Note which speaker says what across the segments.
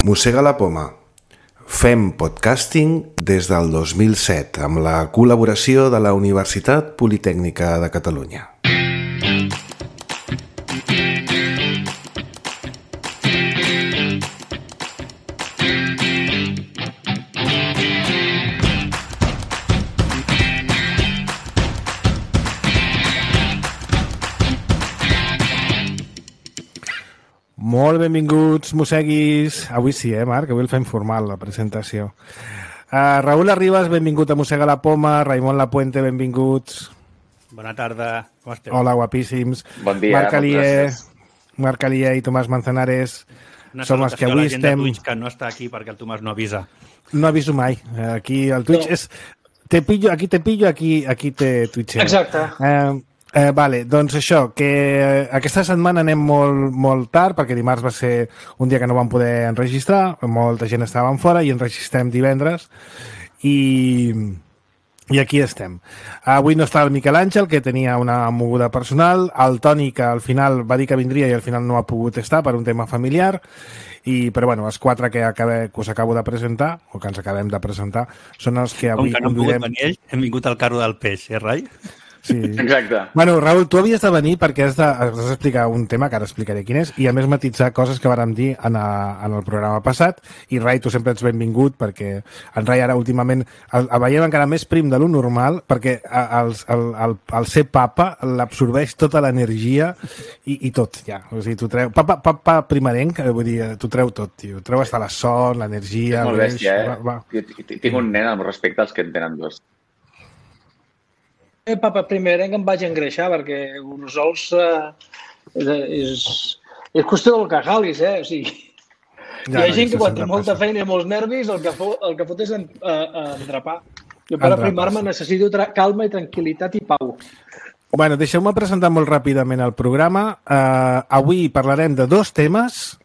Speaker 1: Mossega la poma. Fem podcasting des del 2007 amb la col·laboració de la Universitat Politècnica de Catalunya.
Speaker 2: Molt benvinguts, mosseguis. Avui sí, Marc? Avui el fem formal, la presentació. Raül Arribas, benvingut a Mossega la poma. Raimon Lapuente, benvinguts.
Speaker 3: Bona tarda, com esteu?
Speaker 2: Hola, guapíssims.
Speaker 4: Bon dia,
Speaker 2: Marc Alier i Tomàs Manzanares. Som els que avui estem...
Speaker 3: Twitch, que no està aquí perquè el Tomàs no avisa.
Speaker 2: No aviso mai. Aquí el Twitch és... Aquí te pillo, aquí te twitcheo.
Speaker 5: Exacte.
Speaker 2: Vale, doncs això, que aquesta setmana anem molt tard perquè dimarts va ser un dia que no vam poder enregistrar, molta gent estava fora i enregistrem divendres i aquí estem. Avui no està el Miquel Àngel, que tenia una moguda personal, el Toni, que al final va dir que vindria i al final no ha pogut estar per un tema familiar, però bueno, els quatre que us acabo de presentar, o que ens acabem de presentar, són els que avui...
Speaker 3: Com que no han pogut venir ells, hem vingut al carro del peix, Rai?
Speaker 2: Sí.
Speaker 4: Exacte.
Speaker 2: Bueno, Raül, tu havies de venir perquè has d'explicar un tema que ara explicaré quin és i a més matitzar coses que vàrem dir en el programa passat i Rai, tu sempre ets benvingut perquè en Rai ara últimament el veiem encara més prim de lo normal perquè el ser papa l'absorbeix tota l'energia i tot, ja. O sigui, tu treu... Papa primerenc, vull dir, tu treu tot, tio. Treu hasta la son, l'energia...
Speaker 4: És molt bèstia, Jo tinc un nen amb respecte als que en tenen dos.
Speaker 5: Papa, primer que em vaig engreixar, perquè uns sols és qüestió del que jalis, O sigui, hi ha gent que quan té molta feina i molts nervis, el que fot és endrapar. Jo per aprimar-me necessito calma i tranquil·litat i pau.
Speaker 2: Bueno, deixeu-me presentar molt ràpidament el programa. Avui parlarem de dos temes,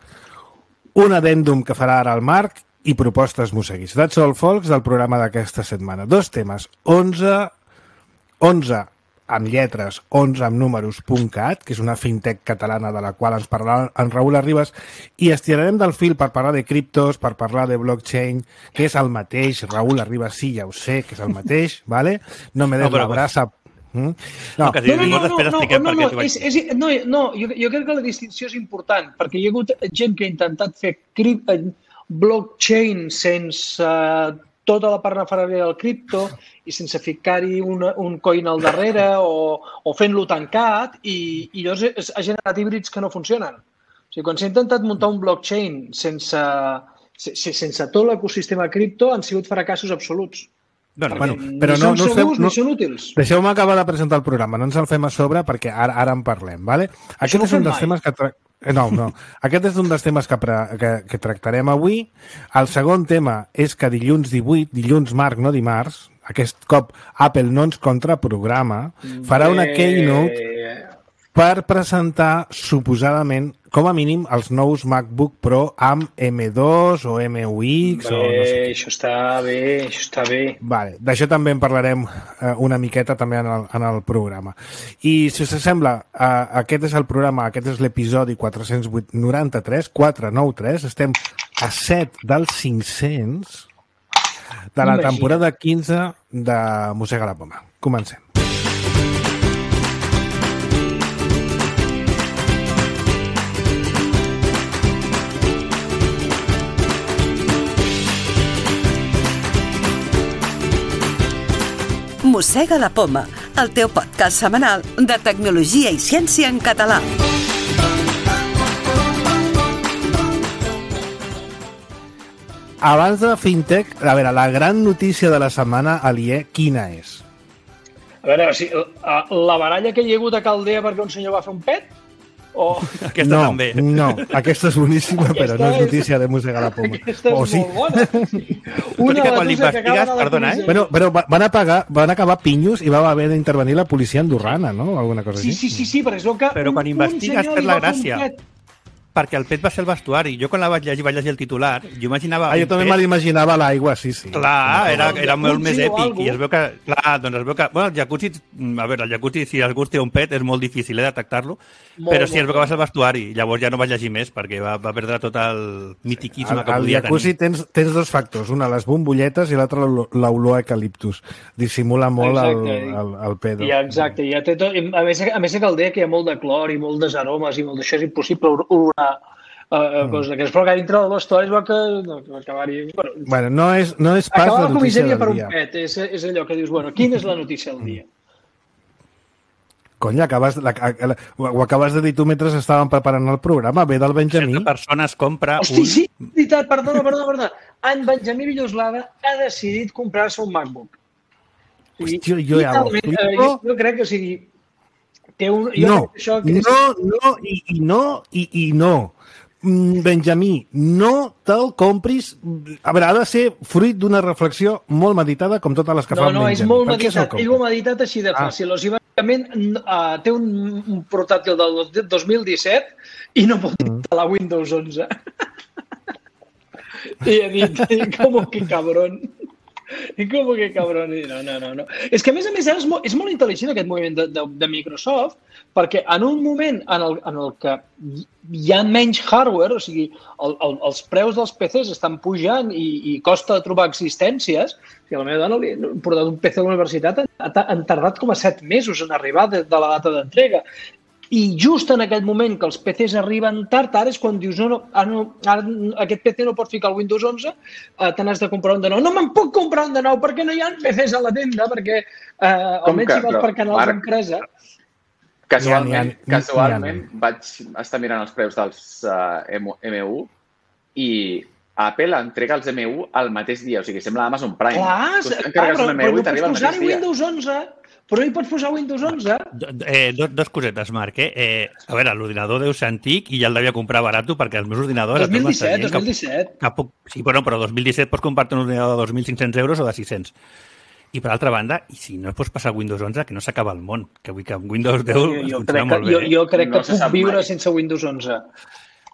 Speaker 2: un addendum que farà ara el Marc i propostes mosseguis. That's all, folks, del programa d'aquesta setmana. Dos temes, 11 amb lletres, 11 amb números.cat, que és una fintech catalana de la qual ens parlarà en Raül Arribas, i estirarem del fil per parlar de criptos, per parlar de blockchain, que és el mateix. Raül Arribas, sí, ja ho sé, que és el mateix, ¿vale? No me des la brasa...
Speaker 5: No, jo crec que la distinció és important, perquè hi ha hagut gent que ha intentat fer blockchain sense tota la parafernàlia del cripto i sense ficar-hi un coin al darrere o fent-lo tancat i llavors ha generat híbrids que no funcionen. O sigui, quan s'ha intentat muntar un blockchain sense tot l'ecosistema cripto han sigut fracassos absoluts.
Speaker 2: Bueno, però no
Speaker 5: són segurs ni són útils.
Speaker 2: Deixeu-me acabar de presentar el programa, no ens el fem a sobre perquè ara en parlem, ¿vale? Aquest és un dels temes que... No. Aquest és un dels temes que tractarem avui. El segon tema és que dilluns 18, dilluns Marc, no dimarts, aquest cop Apple no ens contraprograma, farà una keynote per presentar, suposadament, com a mínim, els nous MacBook Pro amb M2 o M1X o no sé.
Speaker 5: Això està bé. Vale,
Speaker 2: d'això també en parlarem una miqueta també en el programa. I, si us sembla, aquest és el programa, aquest és l'episodi 493, estem a 7 dels 500 de la temporada 15 de Mossega la poma. Comencem.
Speaker 6: Mossega la poma, el teu podcast setmanal de tecnologia i ciència en català.
Speaker 2: Abans de fintech, a veure, la gran notícia de la setmana, Alier, quina és?
Speaker 5: A veure, la baralla que hi ha hagut a Caldea perquè un senyor va fer un pet?
Speaker 3: Aquesta també.
Speaker 2: No, aquesta és boníssima, però no és notícia de Mossega la poma.
Speaker 5: Aquesta és molt bona.
Speaker 3: Tot i que quan l'investigues, perdona,
Speaker 2: Però van acabar pinyos i va haver d'intervenir la policia andorrana, no? Alguna cosa així.
Speaker 5: Sí, perquè és el que...
Speaker 3: Però quan investigues per la gràcia. perquè el pet va ser el vestuari. Jo quan la vaig llegir el titular, jo imaginava...
Speaker 2: Jo també me l'imaginava a l'aigua, sí.
Speaker 3: Clar, era molt més èpic. I es veu que... Clar, doncs es veu que... Bueno, el jacuzzi... A veure, el jacuzzi, si algú té un pet, és molt difícil detectar-lo, però sí, es veu que va ser el vestuari. Llavors ja no vaig llegir més, perquè va perdre tot el mitiquisme que podia tenir.
Speaker 2: Al jacuzzi tens dos factors. Una, les bombolletes, i l'altra, l'olor a eucaliptus. Dissimula molt el pedo.
Speaker 5: Ja, exacte. Ja té tot... A més que el deia que hi ha molt de clor i molt d'aromes i molt d'això, és impossible olorar coses d'aquestes. Però que dintre de l'història es va que acabar-hi...
Speaker 2: Bueno, no és pas la notícia del dia.
Speaker 5: Per un pet, és allò que dius, bueno, quina és la notícia del dia?
Speaker 2: Cony, ho acabes de dir tu mentre estàvem preparant el programa. Ve del Benjamí.
Speaker 3: Certa persona es compra
Speaker 5: Hosti, sí, veritat, perdona. En Benjamí Villoslada ha decidit comprar-se un MacBook.
Speaker 2: Hòstia, jo ja ho flipo.
Speaker 5: Jo crec que, o sigui,
Speaker 2: No. Benjamí, no te'l compris. A veure, ha de ser fruit d'una reflexió molt meditada, com totes les que fa Benjamí.
Speaker 5: No, és molt meditat. Ell ho ha meditat així de fàcil. O sigui, bàsicament, té un portàtil del 2017 i no pot instal·lar la Windows 11. I ha dit, com que cabrón. I com que cabrón. No. És que, a més, és molt intel·ligent aquest moviment de Microsoft, perquè en un moment en el que hi ha menys hardware, o sigui, els preus dels PCs estan pujant i costa trobar existències, i a la meva dona li he portat un PC a la universitat, han tardat com a 7 mesos en arribar de la data d'entrega. I just en aquell moment que els PCs arriben tard, ara és quan dius, aquest PC no pot ficar el Windows 11, te n'has de comprar un de nou. No me'n puc comprar un de nou perquè no hi ha PCs a la tenda, perquè almenys si vas per canals d'empresa.
Speaker 4: Casualment vaig estar mirant els preus dels M1 i Apple entrega els M1 el mateix dia, o sigui, sembla Amazon Prime.
Speaker 5: Clar, però no pots posar-hi Windows 11... Però hi pots posar Windows 11?
Speaker 3: Dos cosetes, Marc. A veure, l'ordinador deu ser antic i ja el devia comprar barat perquè els meus ordinadors...
Speaker 5: 2017.
Speaker 3: Sí, però 2017 pots comprar-te un ordinador de 2.500 euros o de 600. I per altra banda, i si no pots passar Windows 11, que no s'acaba el món. Que vull que amb Windows 10 funciona molt bé.
Speaker 5: Jo crec que puc viure sense Windows 11.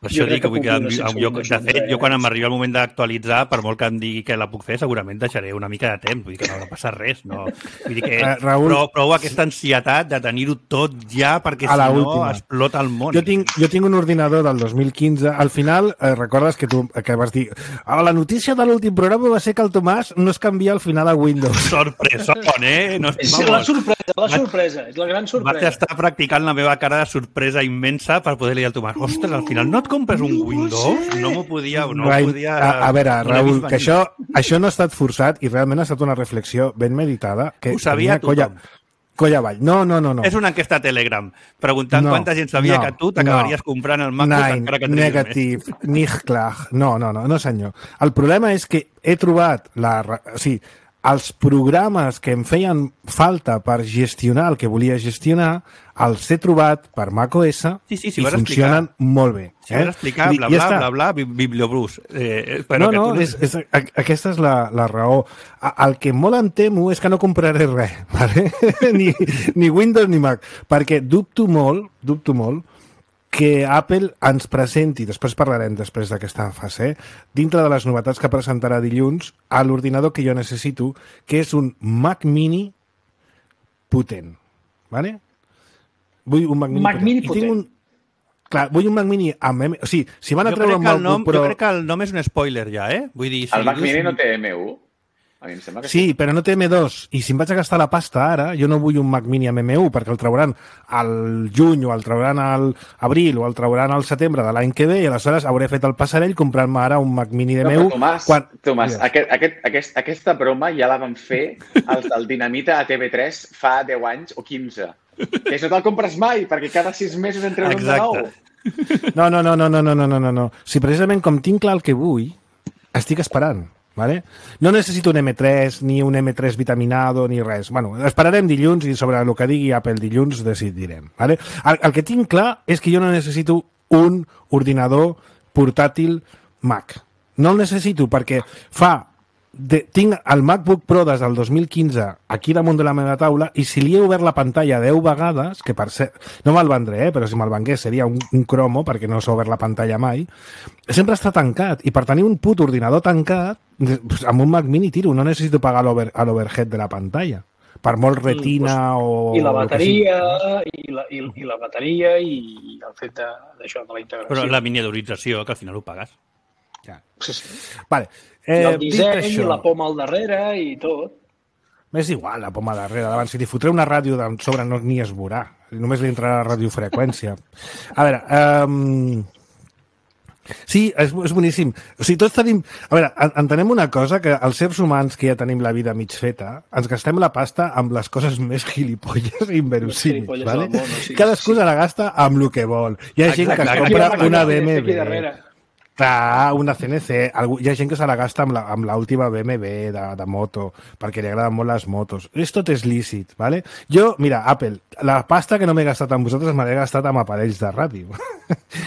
Speaker 3: Per això dic que vull que de fet, jo quan m'arriba el moment d'actualitzar, per molt que em digui que la puc fer, segurament deixaré una mica de temps, vull dir que no ha de passar res, no? Vull dir que prou aquesta ansietat de tenir-ho tot ja, perquè si no explota el món.
Speaker 2: Jo tinc un ordinador del 2015, al final, recordes que tu vas dir la notícia de l'últim programa va ser que el Tomàs no es canvia al final a Windows.
Speaker 3: Sorpresón, No,
Speaker 5: és la sorpresa, és la gran sorpresa.
Speaker 3: Vaig estar practicant la meva cara de sorpresa immensa per poder dir al Tomàs, ostres, al final no et compres un Windows? No m'ho podia...
Speaker 2: A veure, Raül, que això no ha estat forçat i realment ha estat una reflexió ben meditada.
Speaker 3: Ho sabia tothom.
Speaker 2: Colla avall. No.
Speaker 3: És una enquesta a Telegram, preguntant quanta gent sabia que tu t'acabaries comprant el MacBook encara que triguis
Speaker 2: negativ, nicht klar. No, senyor. El problema és que he trobat els programes que em feien falta per gestionar el que volia gestionar, els he trobat per macOS i funcionen molt bé.
Speaker 3: Si vas explicar, bla, bibliobrus.
Speaker 2: Aquesta és la raó. El que molt em temo és que no compraré res, vale? ni Windows ni Mac, perquè dubto molt que Apple ens presenti, després parlarem després d'aquesta fase, dintre de les novetats que presentarà dilluns, a l'ordinador que jo necessito, que és un Mac Mini potent. Vale? Vull un Mac Mini potent. Clar, vull un Mac Mini amb... O sigui, si van a treure un MacBook Pro...
Speaker 3: Jo crec que el nom és un spoiler ja, Vull dir...
Speaker 4: El Mac Mini no té M1? A mi em sembla que
Speaker 2: sí, però no té M2. I si em vaig a gastar la pasta ara, jo no vull un Mac Mini amb M1 perquè el trauran al juny o el trauran al abril o el trauran al setembre de l'any que ve i aleshores hauré fet el passarell comprant-me ara un Mac Mini d'M1.
Speaker 4: Tomàs, aquesta broma ja la van fer els del Dinamita a TV3 fa 10 anys o 15. Que això te'l compres mai, perquè cada 6 mesos en treuen un de nou.
Speaker 2: No. Si precisament com tinc clar el que vull, estic esperant. Vale? No necessito un M3 ni un M3 vitaminado ni res. Bueno, esperarem dilluns i sobre el que digui Apple dilluns decidirem. Vale? El que tinc clar és que jo no necessito un ordinador portàtil Mac. No el necessito perquè fa tinc el MacBook Pro des del 2015 aquí damunt de la meva taula i si li he obert la pantalla 10 vegades, que per cert, no me'l vendré, però si me'l vengués seria un cromo perquè no s'ha obert la pantalla mai, sempre està tancat i per tenir un put ordinador tancat amb un Mac Mini tiro, no necessito pagar l'overhead de la pantalla per molt retina o...
Speaker 5: I la bateria, i la bateria i el fet d'això, de la integració.
Speaker 3: Però la miniaturització, que al final ho pagues.
Speaker 2: Ja.
Speaker 5: Sí.
Speaker 2: Vale.
Speaker 5: I el disseny, i la poma al darrere i tot.
Speaker 2: M'és igual, la poma darrere. Davant, si li fotré una ràdio de sobre no ni es veurà. Només li entrarà la radiofreqüència. A veure... Sí, és boníssim. O sigui, tots tenim... A veure, entenem una cosa, que els éssers humans que ja tenim la vida mig feta, ens gastem la pasta amb les coses més gilipolles i inverosímils, ¿vale? Cadascú se la gasta amb el que vol. Hi ha gent que es compra una BMW. Clar, una CNC. Hi ha gent que se la gasta amb l'última BMW de moto, perquè li agraden molt les motos. Tot és lícit, ¿vale? Jo, mira, Apple, la pasta que no m'he gastat amb vosaltres me l'he gastat amb aparells de ràdio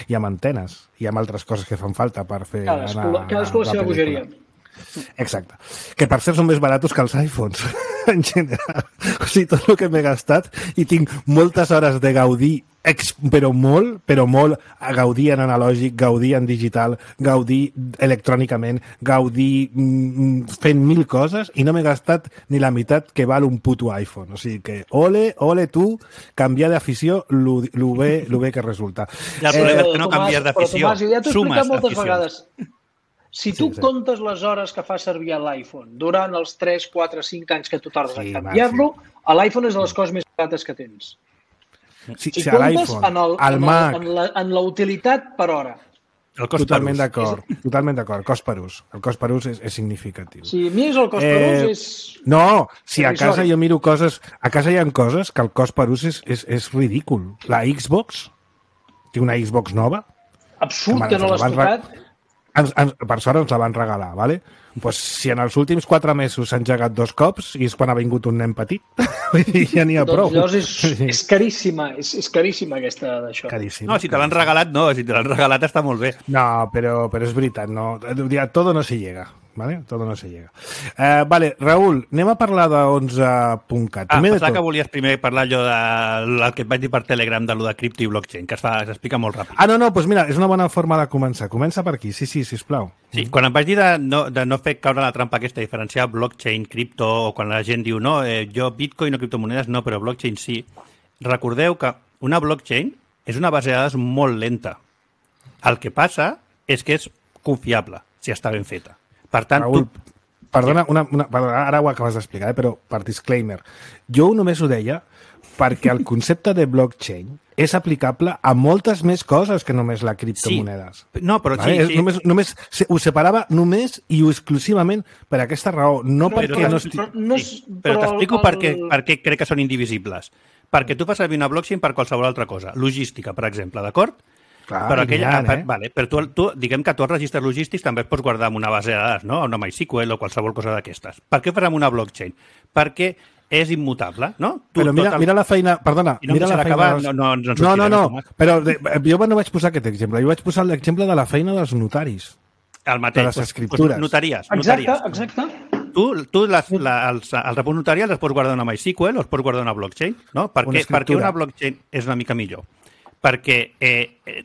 Speaker 2: i amb antenes i amb altres coses que fan falta per fer...
Speaker 5: Cadascú la seva bogeria.
Speaker 2: Exacte. Que per cert són més baratos que els iPhones, en general. O sigui, tot el que m'he gastat i tinc moltes hores de gaudir, però molt, a gaudir en analògic, gaudir en digital, gaudir electrònicament, gaudir fent 1000 coses i no m'he gastat ni la meitat que val un puto iPhone. O sigui que, ole tu, canviar d'afició, lo bé que resulta.
Speaker 3: I el problema és que no canviar d'afició, sumes
Speaker 5: d'aficions. Si tu comptes les hores que fa servir l'iPhone durant els 3, 4, 5 anys que tu tardes en canviar-lo, l'iPhone és de les coses més barates que tens. Si comptes en la utilitat per hora.
Speaker 2: Totalment d'acord. Cost per ús. El cost per ús és significatiu.
Speaker 5: Si a mi és el cost per ús és...
Speaker 2: No, si a casa jo miro coses... A casa hi ha coses que el cost per ús és ridícul. La Xbox, tinc una Xbox nova.
Speaker 5: Absurd que no l'has tocat.
Speaker 2: Per sort ens la van regalar, ¿vale? Pues, si en els últims 4 mesos s'han engegat 2 cops i és quan ha vingut un nen petit, ja n'hi ha prou.
Speaker 5: Doncs és caríssima, és caríssima aquesta d'això.
Speaker 3: No, si te l'han regalat, no. Si te l'han regalat està molt bé.
Speaker 2: No, però és veritat, no. Todo no se llega. ¿Vale? Todo no se llega. Vale, Raül, anem a parlar de 11.cat.
Speaker 3: Pensava que volies primer parlar allò del que et vaig dir per Telegram de lo de cripto i blockchain, que s'explica molt ràpid.
Speaker 2: No, doncs mira, és una bona forma de començar. Comença per aquí, sí, sisplau.
Speaker 3: Sí, quan em vaig dir de no fer caure la trampa aquesta, diferenciar blockchain, cripto, o quan la gent diu no, jo bitcoin o criptomonedes no, però blockchain sí. Recordeu que una blockchain és una base de dades molt lenta. El que passa és que és confiable, si està ben feta. Per tant,
Speaker 2: Raül, perdona, ara ho acabes d'explicar, però per disclaimer. Jo només ho deia perquè el concepte de blockchain és aplicable a moltes més coses que només la criptomonedes.
Speaker 3: Sí. No, però sí.
Speaker 2: Només ho separava només i exclusivament per aquesta raó. No perquè no estic...
Speaker 3: Però t'explico per què crec que són indivisibles. Perquè tu fas servir una blockchain per qualsevol altra cosa. Logística, per exemple, d'acord?
Speaker 2: Clar,
Speaker 3: però tu, diguem que tu els registres logístics també els pots guardar en una base de dades, no? Una MySQL o qualsevol cosa d'aquestes. Per què fas amb una blockchain? Perquè és immutable, no?
Speaker 2: Però mira la feina... Perdona, mira la feina... No, però jo no vaig posar aquest exemple. Jo vaig posar l'exemple de la feina dels notaris.
Speaker 3: El mateix.
Speaker 2: De les escriptures.
Speaker 3: Notaries.
Speaker 5: Exacte.
Speaker 3: Tu els reports notarials els pots guardar en una MySQL o els pots guardar en una blockchain, no? Per què una blockchain és una mica millor? Perquè,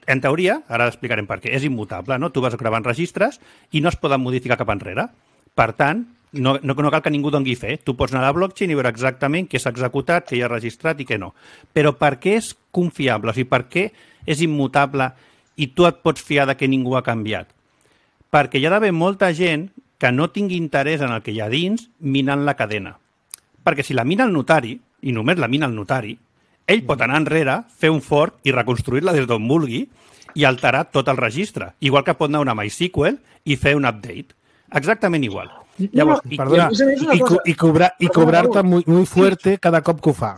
Speaker 3: en teoria, ara explicarem per què, és immutable, no? Tu vas gravant registres i no es poden modificar cap enrere. Per tant, no cal que ningú doni fe. Tu pots anar a la blockchain i veure exactament què s'ha executat, què hi ha registrat i què no. Però per què és confiable? O sigui, per què és immutable i tu et pots fiar de que ningú ha canviat? Perquè hi ha d'haver molta gent que no tingui interès en el que hi ha dins minant la cadena. Perquè si la mina el notari, i només la mina el notari, ell pot anar enrere, fer un fork i reconstruir-la des d'on vulgui i alterar tot el registre. Igual que pot anar a una MySQL i fer un update. Exactament igual.
Speaker 2: Llavors, i cobrar-te muy fuerte cada cop que ho fa.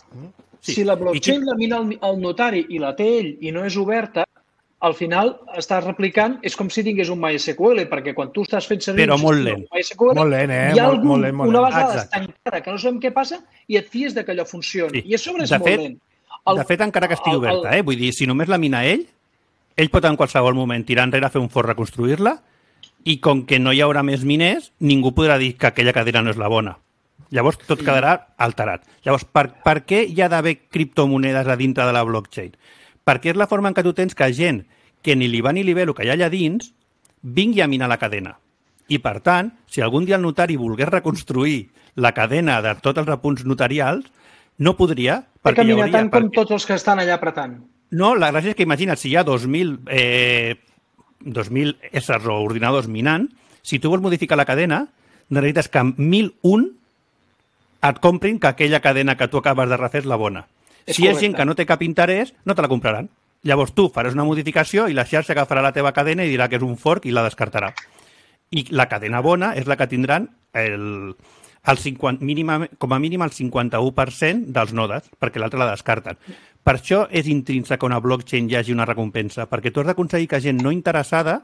Speaker 5: Sí. Si la blockchain la mina el notari i la té ell i no és oberta, al final estàs replicant, és com si tingués un MySQL, perquè quan tu estàs fent servir
Speaker 2: MySQL,
Speaker 5: hi ha una base de dades tancada que no sabem què passa i et fies que allò funcioni. I a sobre és molt lent.
Speaker 3: De fet, encara que estigui oberta, vull dir, si només la mina ell pot en qualsevol moment tirar enrere, fer un fork, reconstruir-la i com que no hi haurà més miners, ningú podrà dir que aquella cadena no és la bona. Llavors tot quedarà alterat. Llavors, per què hi ha d'haver criptomonedes a dintre de la blockchain? Perquè és la forma en què tu tens que gent que ni li va ni li ve el que hi ha allà dins vingui a minar la cadena. I, per tant, si algun dia el notari volgués reconstruir la cadena de tots els apunts notarials, no podria.
Speaker 5: Té que minar tant com tots els que estan allà apretant.
Speaker 3: No, la gràcia és que imagina't, si hi ha 2.000 éssers o ordinadors minant, si tu vols modificar la cadena, necessites que 1.001 et comprin que aquella cadena que tu acabes de refer és la bona. Si hi ha gent que no té cap interès, no te la compraran. Llavors tu faràs una modificació i la xarxa agafarà la teva cadena i dirà que és un fork i la descartarà. I la cadena bona és la que tindran com a mínim el 51% dels nodes, perquè l'altra la descarten. Per això és intrínsec que una blockchain hi hagi una recompensa, perquè tu has d'aconseguir que gent no interessada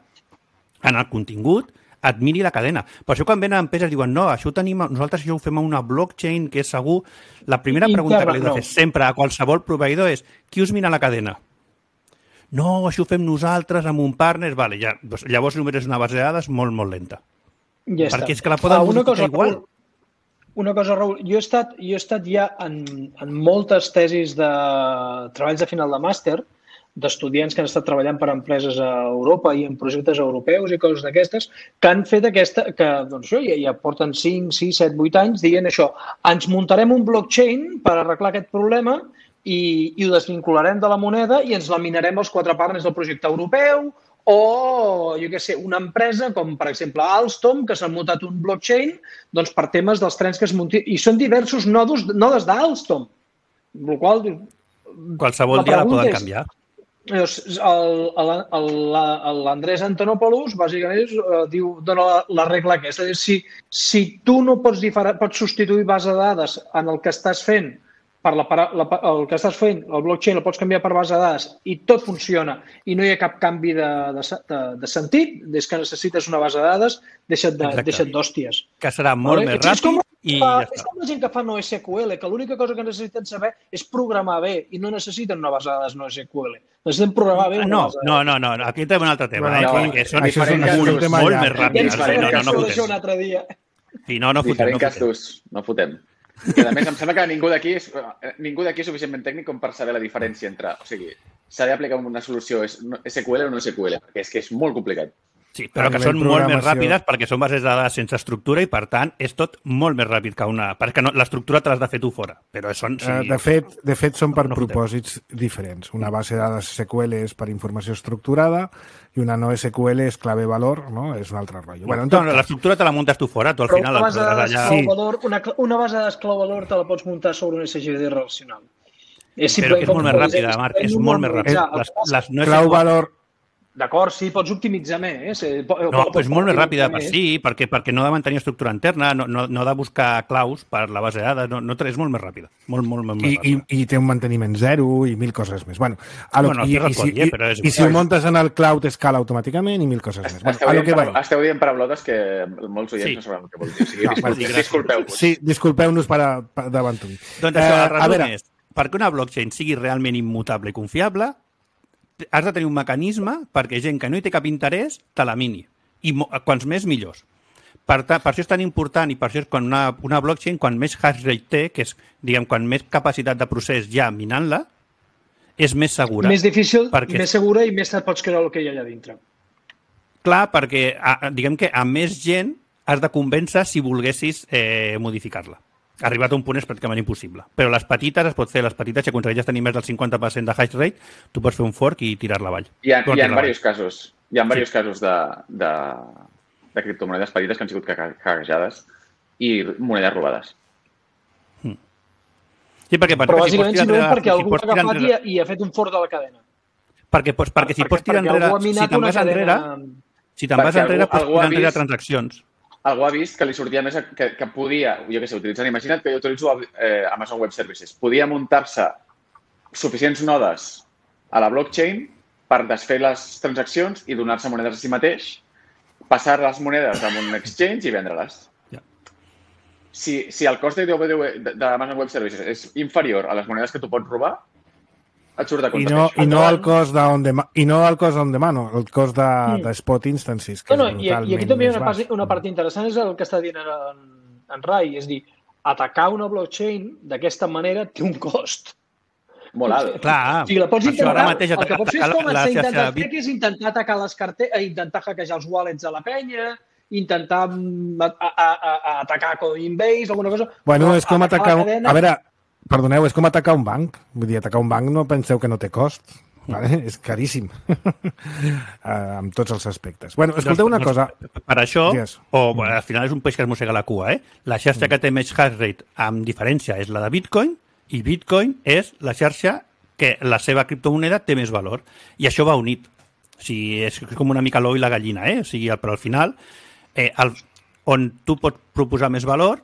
Speaker 3: en el contingut et miri la cadena. Per això quan venen empreses diuen no, això ho tenim, nosaltres això ho fem a una blockchain que és segur. La primera pregunta que li he de fer sempre a qualsevol proveïdor és qui us mira la cadena? No, això ho fem nosaltres amb un partner. Vale, ja, doncs, llavors només és una base de dades molt, molt lenta.
Speaker 5: Ja
Speaker 3: perquè és que la poden modificar igual.
Speaker 5: Una cosa, Raül, jo he estat ja en moltes tesis de treballs de final de màster d'estudiants que han estat treballant per empreses a Europa i en projectes europeus i coses d'aquestes, que han fet que doncs, ja porten 5, 6, 7, 8 anys dient això, ens muntarem un blockchain per arreglar aquest problema i ho desvincularem de la moneda i ens la minarem els 4 partners del projecte europeu o, jo què sé, una empresa com, per exemple, Alstom, que s'ha muntat un blockchain doncs, per temes dels trens que es muntin. I són diversos nodes d'Alstom.
Speaker 3: Qualsevol dia la poden canviar.
Speaker 5: L'Andrés Antonopoulos, bàsicament, dona la regla aquesta. És a dir, si tu no pots substituir base de dades en el que estàs fent, el que estàs fent, el blockchain el pots canviar per base de dades i tot funciona i no hi ha cap canvi de sentit, des que necessites una base de dades, deixa't d'hòsties.
Speaker 3: Que serà molt més ràpid i ja està.
Speaker 5: És com la gent que fa NoSQL, que l'única cosa que necessiten saber és programar bé i no necessiten una base de dades NoSQL. Necessiten programar bé una base de dades.
Speaker 3: No, aquí tenim un altre tema, perquè són molt més ràpids.
Speaker 5: No fotem.
Speaker 4: Diferent cas d'ús, no fotem. I a més, em sembla que ningú d'aquí és suficientment tècnic com per saber la diferència entre... O sigui, s'ha d'aplicar una solució SQL o no SQL, perquè és que és molt complicat.
Speaker 3: Sí, però que són molt més ràpides perquè són bases de dades sense estructura i, per tant, és tot molt més ràpid que una... Perquè l'estructura te l'has de fer tu fora. Però són...
Speaker 2: De fet, són per propòsits diferents. Una base de dades SQL és per informació estructurada i una no SQL és clave-valor, no? És un altre rotllo.
Speaker 3: L'estructura te la muntes tu fora, tu al final...
Speaker 5: Una base de dades clau-valor te la pots muntar sobre un SGD relacional.
Speaker 3: Però és molt més ràpida, Marc, és molt més ràpida.
Speaker 2: Clau-valor...
Speaker 5: D'acord, sí, pots optimitzar més.
Speaker 3: No, però és molt més ràpida, sí, perquè no ha de mantenir estructura interna, no ha de buscar claus per la base de dades, és molt més ràpida. Molt més ràpida.
Speaker 2: I té un manteniment zero i 1.000 coses més. I si ho muntes en el cloud escala automàticament i 1.000 coses més.
Speaker 4: Esteu dient paraulotes que molts oients no sabran què vol dir. Disculpeu-vos.
Speaker 2: Sí, disculpeu-nos davant tu.
Speaker 3: Doncs això, el resum és, perquè una blockchain sigui realment immutable i confiable, has de tenir un mecanisme perquè gent que no hi té cap interès te la mini. I quants més, millors. Per això és tan important i per això és quan una blockchain, quan més hash rate té, que és, diguem, quan més capacitat de procés hi ha minant-la, és més segura.
Speaker 5: Més difícil, més segura i més et pots creure el que hi ha allà dintre.
Speaker 3: Clar, perquè diguem que a més gent has de convèncer si volguessis modificar-la. Arribat a un punt és pràcticament impossible. Però les petites es pot fer, si aconsegueixes tenir més del 50% de hash rate, tu pots fer un fork i tirar-la avall.
Speaker 4: Hi ha diversos casos de criptomonedes petites que han sigut hackejades i monedes robades.
Speaker 3: Sí, perquè
Speaker 5: bàsicament simplement perquè algú ha agafat i ha fet un fork de la cadena.
Speaker 3: Perquè si pots tirar enrere, si te'n vas enrere, pots tirar enrere transaccions.
Speaker 4: Algú ha vist que li sortia més que podia, jo què sé, utilitzant, imagina't que jo utilitzo Amazon Web Services, podia muntar-se suficients nodes a la blockchain per desfer les transaccions i donar-se monedes a si mateix, passar les monedes a un exchange i vendre-les. Si el cost d'Amazon Web Services és inferior a les monedes que tu pots robar, et surt de compte.
Speaker 2: I no el cost on demand, el cost de spot instances, que és brutalment
Speaker 5: i aquí també
Speaker 2: més baix.
Speaker 5: una part interessant és el que està dient en Rai, és dir, atacar una blockchain d'aquesta manera té un cost.
Speaker 4: Molt alt.
Speaker 3: Clar,
Speaker 5: o sigui, la pots intentar,
Speaker 3: ara mateix
Speaker 5: el que pots fer és com
Speaker 3: la
Speaker 5: intentar fer, que és intentar atacar les carteres, intentar hackejar els wallets de la penya, intentar atacar Coinbase, alguna cosa.
Speaker 2: Bueno, és com atacar... A veure, perdoneu, és com atacar un banc. Vull dir, atacar un banc no penseu que no té cost. Vale? És caríssim. En tots els aspectes. Bueno, escolteu una cosa.
Speaker 3: Per això, al final és un peix que es mossega la cua, La xarxa que té més hash rate, amb diferència, és la de Bitcoin, i Bitcoin és la xarxa que la seva criptomoneda té més valor. I això va unit. O sigui, és com una mica l'ou i la gallina, O sigui, però al final, on tu pots proposar més valor,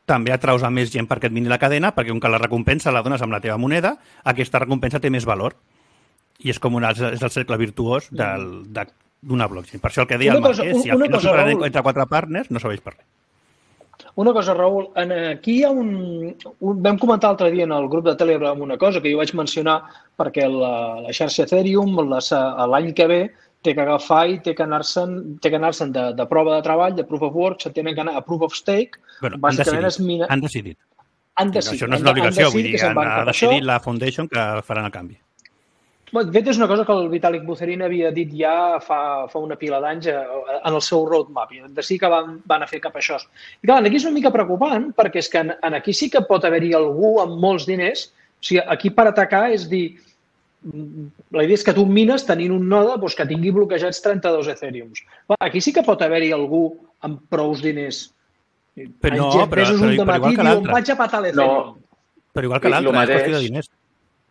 Speaker 3: també atraus a més gent perquè et mini la cadena, perquè com que la recompensa la dones amb la teva moneda, aquesta recompensa té més valor. I és com és el cercle virtuós d'una blockchain. Per això el que deia el Marc, si al final superen entre 4 partners, no serveix per res.
Speaker 5: Una cosa, Raül, aquí hi ha vam comentar l'altre dia en el grup de Telegram una cosa que jo vaig mencionar perquè la xarxa Ethereum l'any que ve té que agafar i té que anar-se'n de prova de treball, de proof of work, se tenen que anar a proof of stake.
Speaker 3: Bueno, han decidit. Això no és una obligació, vull dir, ha decidit la Foundation que faran el canvi.
Speaker 5: De fet, és una cosa que el Vitalik Buterin havia dit ja fa una pila d'anys en el seu roadmap. I de sí que van a fer cap a això. I clar, aquí és una mica preocupant perquè és que aquí sí que pot haver-hi algú amb molts diners. O sigui, aquí per atacar és dir... La idea és que tu mines tenint un node que tingui bloquejats 32 Ethereums. Aquí sí que pot haver-hi algú amb prous diners.
Speaker 3: Però igual que l'altre.
Speaker 5: Vaig a patar l'Ethereum.
Speaker 3: Però igual que l'altre, és qüestió de diners.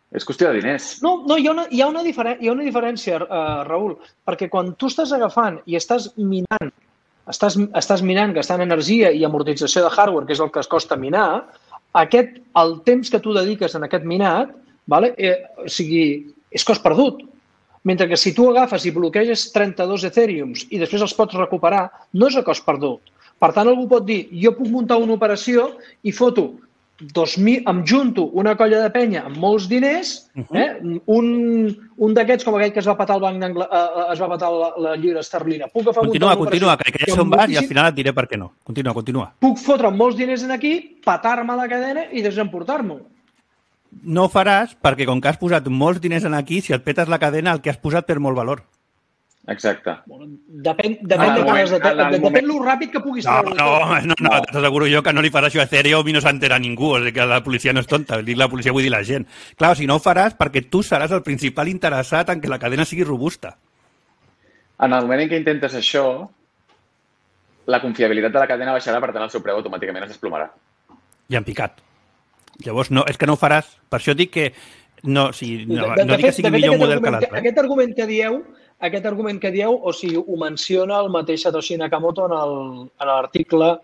Speaker 4: És qüestió de diners.
Speaker 5: No, hi ha una diferència, Raül, perquè quan tu estàs agafant i estàs minant, gastant energia i amortització de hardware, que és el que es costa minar, el temps que tu dediques en aquest minat, és cost perdut. Mentre que si tu agafes i bloqueges 32 Ethereums i després els pots recuperar, no és a cost perdut. Per tant, algú pot dir, jo puc muntar una operació i foto em junto una colla de penya amb molts diners, un d'aquests com aquell que es va patar el banc es va patar la lliura esterlina.
Speaker 3: Continua, que ja sé on vas i al final et diré per què no. Continua.
Speaker 5: Puc fotre molts diners aquí, patar-me la cadena i desemportar-m'ho.
Speaker 3: No ho faràs perquè com que has posat molts diners aquí, si et petes la cadena, el que has posat per molt valor.
Speaker 4: Exacte.
Speaker 5: Depèn lo ràpid que puguis treure.
Speaker 3: No, t'asseguro jo que no li faràs això a Ethereum i no s'entera ningú, o sigui que la policia no és tonta, la policia vull dir la gent. Clar, si no ho faràs perquè tu seràs el principal interessat en que la cadena sigui robusta.
Speaker 4: En el moment en què intentes això, la confiabilitat de la cadena baixarà, per tant el seu preu automàticament es desplomarà.
Speaker 3: I en picat. Llavors, no, és que no ho faràs. Per això dic que no dic que sigui millor model que l'altre.
Speaker 5: Aquest argument que dieu, o sigui, ho menciona el mateix Satoshi Nakamoto en l'article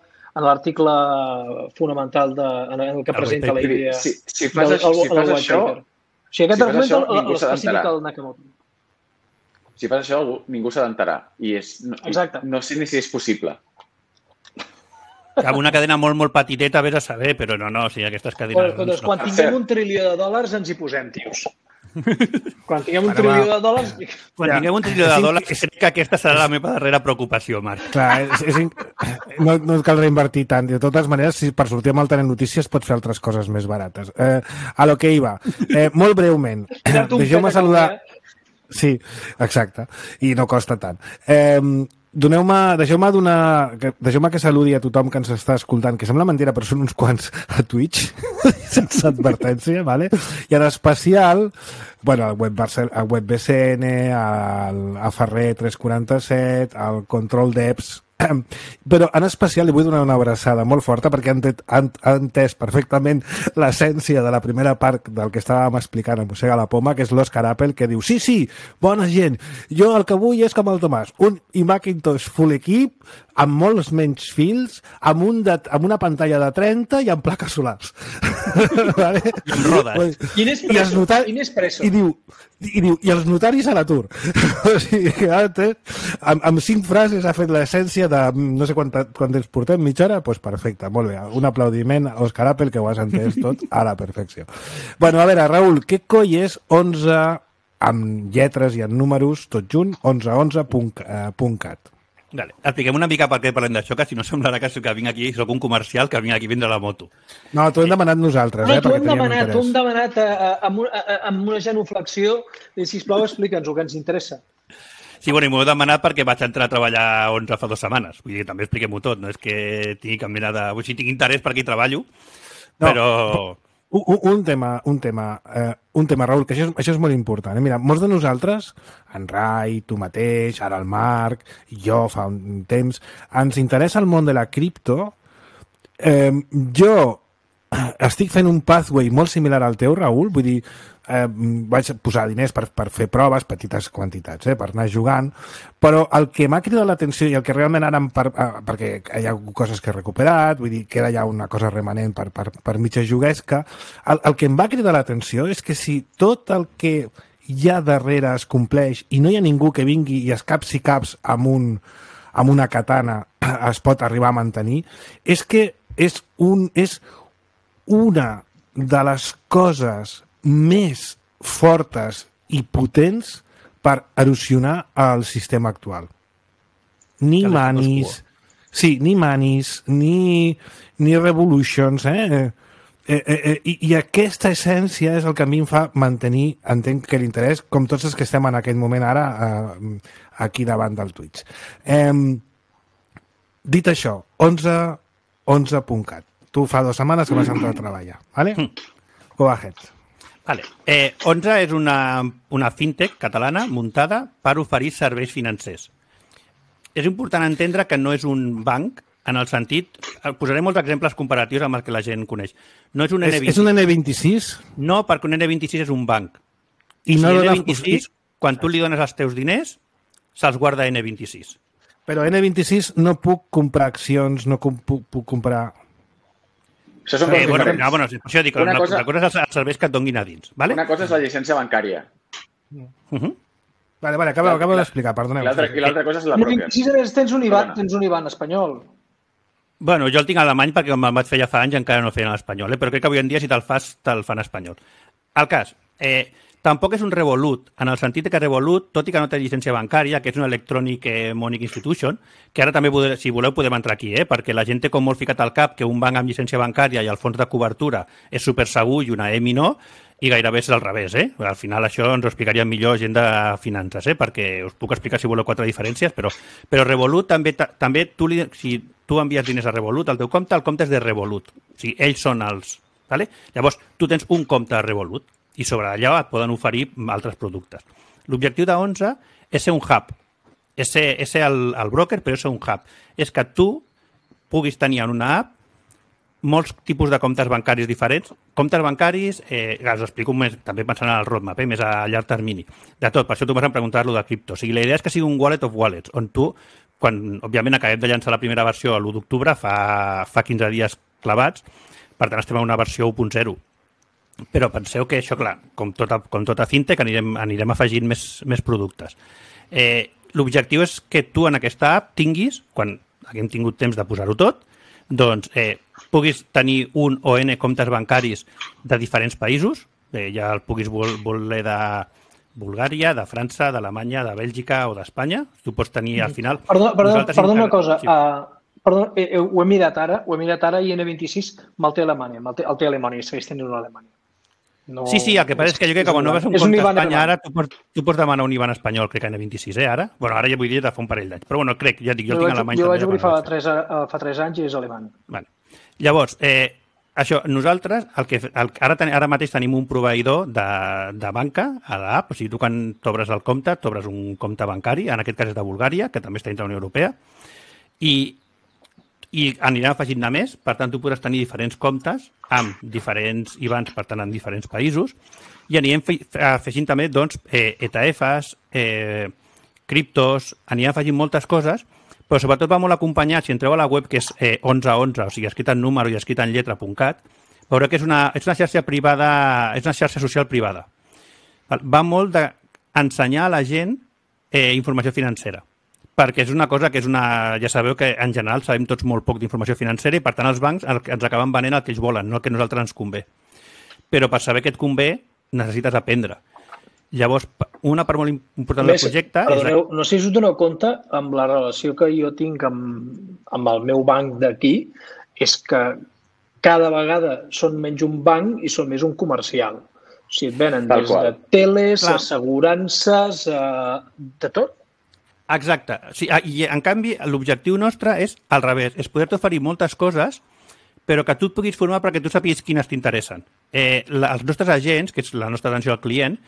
Speaker 5: fonamental en el que presenta la idea.
Speaker 4: Si fas això,
Speaker 5: aquest argument l'especifica el Nakamoto.
Speaker 4: Si fas això, ningú s'ha d'enterar. I no sé ni si és possible.
Speaker 3: Amb una cadena molt, molt petiteta, vés a saber, però no, o sigui, aquestes cadenes...
Speaker 5: Doncs quan tinguem $1 trilió ens hi posem, tios. Quan tinguem $1 trilió...
Speaker 3: Quan tinguem $1 trilió, crec que aquesta serà la meva darrera preocupació, Marc.
Speaker 2: Clar, no cal reinvertir tant. De totes maneres, si per sortir amb el Telenotícies pots fer altres coses més barates. A lo que iba. Molt breument. Deixeu-me saludar... Sí, exacte. I no costa tant. Deixeu-me que saludi a tothom que ens està escoltant, que sembla mentira, però són uns quants a Twitch, sense advertència, ¿vale? I en especial, bueno, al WebBCN, a Ferrer 347, al Control Devs, però en especial li vull donar una abraçada molt forta perquè han entès perfectament l'essència de la primera part del que estàvem explicant a Mossega la Poma, que és l'Òscar Apple, que diu, sí, bona gent, jo el que vull és com el Tomàs, un Macintosh full equip, amb molts menys fils, amb una pantalla de 30 i amb plaques solars.
Speaker 3: Vale? I amb rodes.
Speaker 5: Quin espresso.
Speaker 2: I diu, i els notaris a l'atur. O sigui, amb 5 frases ha fet l'essència història de no sé quant temps portem, mitja hora? Doncs perfecte, molt bé. Un aplaudiment a Òscar Apple, que ho has entès tot a la perfecció. Bueno, a veure, Raül, què coi és 11 amb lletres i en números, tot junt, 1111.cat?
Speaker 3: Vale. Expliquem una mica per què parlem d'això, que si no semblarà que vinc aquí, soc un comercial que vinc aquí a vendre la moto.
Speaker 2: No, t'ho hem demanat nosaltres.
Speaker 5: No, t'ho hem demanat amb una genuflexió i, sisplau, explica'ns-ho, que ens interessa.
Speaker 3: Sí, bueno, i m'ho he demanat perquè vaig entrar a treballar 11 fa 2 setmanes. Vull dir, també expliquem-ho tot. No és que tingui cap mena de... Vull dir, tinc interès per aquí treballo, però...
Speaker 2: Un tema, Raül, que això és molt important. Mira, molts de nosaltres, en Rai, tu mateix, ara el Marc, jo fa un temps, ens interessa el món de la cripto. Jo estic fent un pathway molt similar al teu, Raül, vull dir, vaig posar diners per fer proves, petites quantitats, per anar jugant, però el que m'ha cridat l'atenció i el que realment ara, perquè hi ha coses que he recuperat, vull dir, queda ja una cosa remanent per mitja juguesca, el que em va cridar l'atenció és que si tot el que hi ha darrere es compleix i no hi ha ningú que vingui i es capsi caps amb una katana es pot arribar a mantenir, és que és una de les coses més fortes i potents per erosionar el sistema actual. Ni manis, ni revolutions, I aquesta essència és el que a mi em fa mantenir, entenc que l'interès, com tots els que estem en aquest moment ara aquí davant del Twitch. Dit això, 11.cat. Tu fa 2 setmanes que vas entrar a treballar, ¿vale? Go ahead.
Speaker 3: Vale. 11 és una fintech catalana muntada per oferir serveis financers. És important entendre que no és un banc, en el sentit... Posaré molts exemples comparatius amb el que la gent coneix. No és un N26.
Speaker 2: És un N26?
Speaker 3: No, perquè un N26 és un banc.
Speaker 2: I no
Speaker 3: N26, quan tu li dones els teus diners, se'ls guarda N26.
Speaker 2: Però N26 no puc comprar accions, no puc comprar...
Speaker 4: Això són
Speaker 3: això dic, una cosa és els serveis que et donguin a dins. ¿Vale?
Speaker 4: Una cosa és la llicència bancària.
Speaker 2: Vale, acabo d'explicar, perdoneu.
Speaker 4: I l'altra cosa és la broker.
Speaker 5: Si tens un IBAN espanyol.
Speaker 3: Bueno, jo el tinc alemany perquè me'l vaig fer ja fa anys i encara no feien l'espanyol, però crec que avui en dia si te'l fas, te'l fan espanyol. El cas, tampoc és un Revolut, en el sentit que Revolut, tot i que no té llicència bancària, que és una Electronic Money Institution, que ara també, si voleu, podem entrar aquí, perquè la gent té com molt ficat al cap que un banc amb llicència bancària i el fons de cobertura és super segur i una EMI no, i gairebé és al revés. Al final això ens ho explicaria millor gent de finances, perquè us puc explicar si voleu 4 diferències, però Revolut també si tu envies diners a Revolut, el teu compte, el compte és de Revolut. O sigui, ells són els... Vale? Llavors, tu tens un compte a Revolut i sobre allà et poden oferir altres productes. L'objectiu de 11 és ser un hub, és ser el broker, però és ser un hub. És que tu puguis tenir en una app molts tipus de comptes bancaris diferents. Comptes bancaris, us ho explico més, també pensant en el roadmap, més a llarg termini. De tot, per això tu vas a preguntar-lo de cripto. O sigui, la idea és que sigui un wallet of wallets, on tu, quan, òbviament, acabem de llançar la primera versió l'1 d'octubre, fa 15 dies clavats, per tant, estem en una versió 1.0. Però penseu que això, clar, com tota fintech, anirem afegint més productes. L'objectiu és que tu en aquesta app tinguis, quan haguem tingut temps de posar-ho tot, doncs puguis tenir un o N comptes bancaris de diferents països, ja el puguis voler de Bulgària, de França, d'Alemanya, de Bèlgica o d'Espanya. Tu pots tenir al final...
Speaker 5: Perdona una cosa. Perdó, ho he mirat ara i N26 me'l té Alemanya. El té Alemanya, segueix tenint una Alemanya.
Speaker 3: No... Sí, el que passa és que jo crec que quan no vas a un compte a Espanya ara, tu pots demanar un IBAN espanyol, crec que N26, ara? Bueno, ara ja vull dir de fa un parell d'anys, però bueno, crec, ja dic, jo el tinc a Alemanya.
Speaker 5: Jo vaig obrir fa 3 anys i és alemany.
Speaker 3: Vale. Llavors, això, nosaltres, ara mateix tenim un proveïdor de banca a l'app, o sigui, tu quan t'obres el compte, t'obres un compte bancari, en aquest cas és de Bulgària, que també està dintre de la Unió Europea, i anirem afegint-ne més, per tant, tu podràs tenir diferents comptes amb diferents IBANs, per tant, en diferents països, i anirem afegint també, doncs, ETFs, criptos, anirem afegint moltes coses, però sobretot va molt acompanyat, si entreu a la web, que és 1111, o sigui, escrit en número i escrit en lletra.cat, veureu que és una xarxa privada, és una xarxa social privada. Va molt d'ensenyar a la gent informació financera. Perquè és una cosa que és una... Ja sabeu que en general sabem tots molt poc d'informació financera i per tant els bancs ens acaben venent el que ells volen, no el que a nosaltres ens convé. Però per saber què et convé necessites aprendre. Llavors, una part molt important del projecte...
Speaker 5: Perdoneu, no sé si us doneu compte amb la relació que jo tinc amb el meu banc d'aquí, és que cada vegada són menys un banc i són més un comercial. O sigui, et venen des de teles, assegurances, de tot.
Speaker 3: Exacte. Sí, i en canvi, l'objectiu nostre és al revés, és poder-te oferir moltes coses, però que tu et puguis formar perquè tu sàpigues quines t'interessen. Els nostres agents, que és la nostra atenció al client,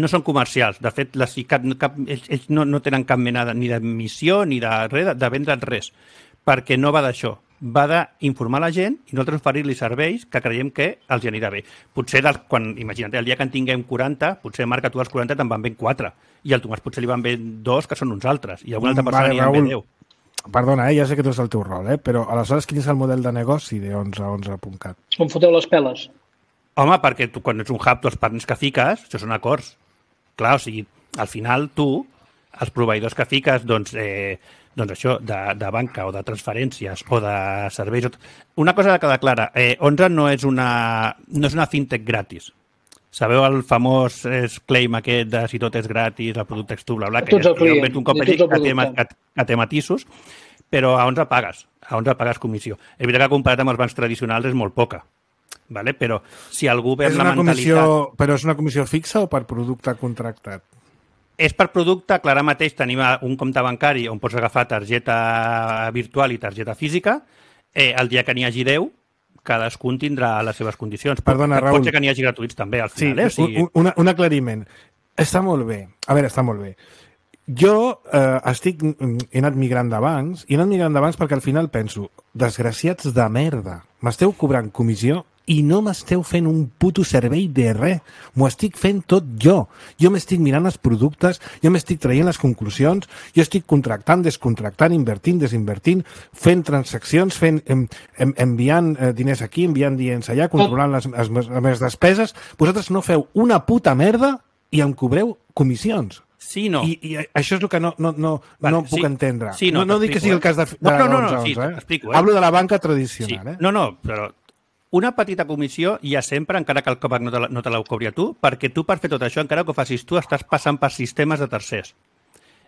Speaker 3: no són comercials. De fet, ells no tenen cap mena ni de missió ni de vendre't res, perquè no va d'això. Va d'informar la gent i nosaltres oferir-li serveis que creiem que els anirà bé. Potser, imagina't, el dia que en tinguem 40, potser Marc, a tu els 40 te'n van bé 4, i al Tomàs potser li van bé 2, que són uns altres, i a una altra persona n'hi van bé 10.
Speaker 2: Perdona, ja sé que tu és el teu rol, però aleshores quin és el model de negoci de 11a11.cat?
Speaker 5: Com foteu les peles?
Speaker 3: Home, perquè tu, quan ets un hub, els partners que fiques, això són acords. Clar, o sigui, al final tu, els proveïdors que fiques, doncs això, de banca o de transferències o de serveis... Una cosa que queda clara, 11 no és una fintech gratis. Sabeu el famós claim aquest de si tot és gratis, el producte és tu, bla, bla, que un cop que té matisos, però a 11 pagues comissió. És veritat que comparat amb els bancs tradicionals és molt poca, vale? Però si algú ve amb la mentalitat...
Speaker 2: Però és una comissió fixa o per producte contractat?
Speaker 3: És per producte, clar, ara mateix tenim un compte bancari on pots agafar targeta virtual i targeta física. El dia que n'hi hagi 10, cadascun tindrà les seves condicions.
Speaker 2: Perdona, Raül.
Speaker 3: Pot ser que n'hi hagi gratuïts també, al final.
Speaker 2: Sí, un aclariment. Està molt bé. A veure, està molt bé. Jo he anat migrant de bancs, i he anat migrant de bancs perquè al final penso, desgraciats de merda, m'esteu cobrant comissió i no m'esteu fent un puto servei de res. M'ho estic fent tot jo. Jo m'estic mirant els productes, jo m'estic traient les conclusions, jo estic contractant, descontractant, invertint, desinvertint, fent transaccions, enviant diners aquí, enviant diners allà, controlant les meves despeses. Vosaltres no feu una puta merda i em cobreu comissions.
Speaker 3: Sí, no.
Speaker 2: I això és el que no puc entendre.
Speaker 3: Sí, no
Speaker 2: dic que sigui el cas de
Speaker 3: sí, t'explico.
Speaker 2: Hablo de la banca tradicional.
Speaker 3: Sí. No, però una petita comissió hi ha sempre, encara que el COPAC no te la cobri a tu, perquè tu per fer tot això, encara que ho facis tu, estàs passant per sistemes de tercers.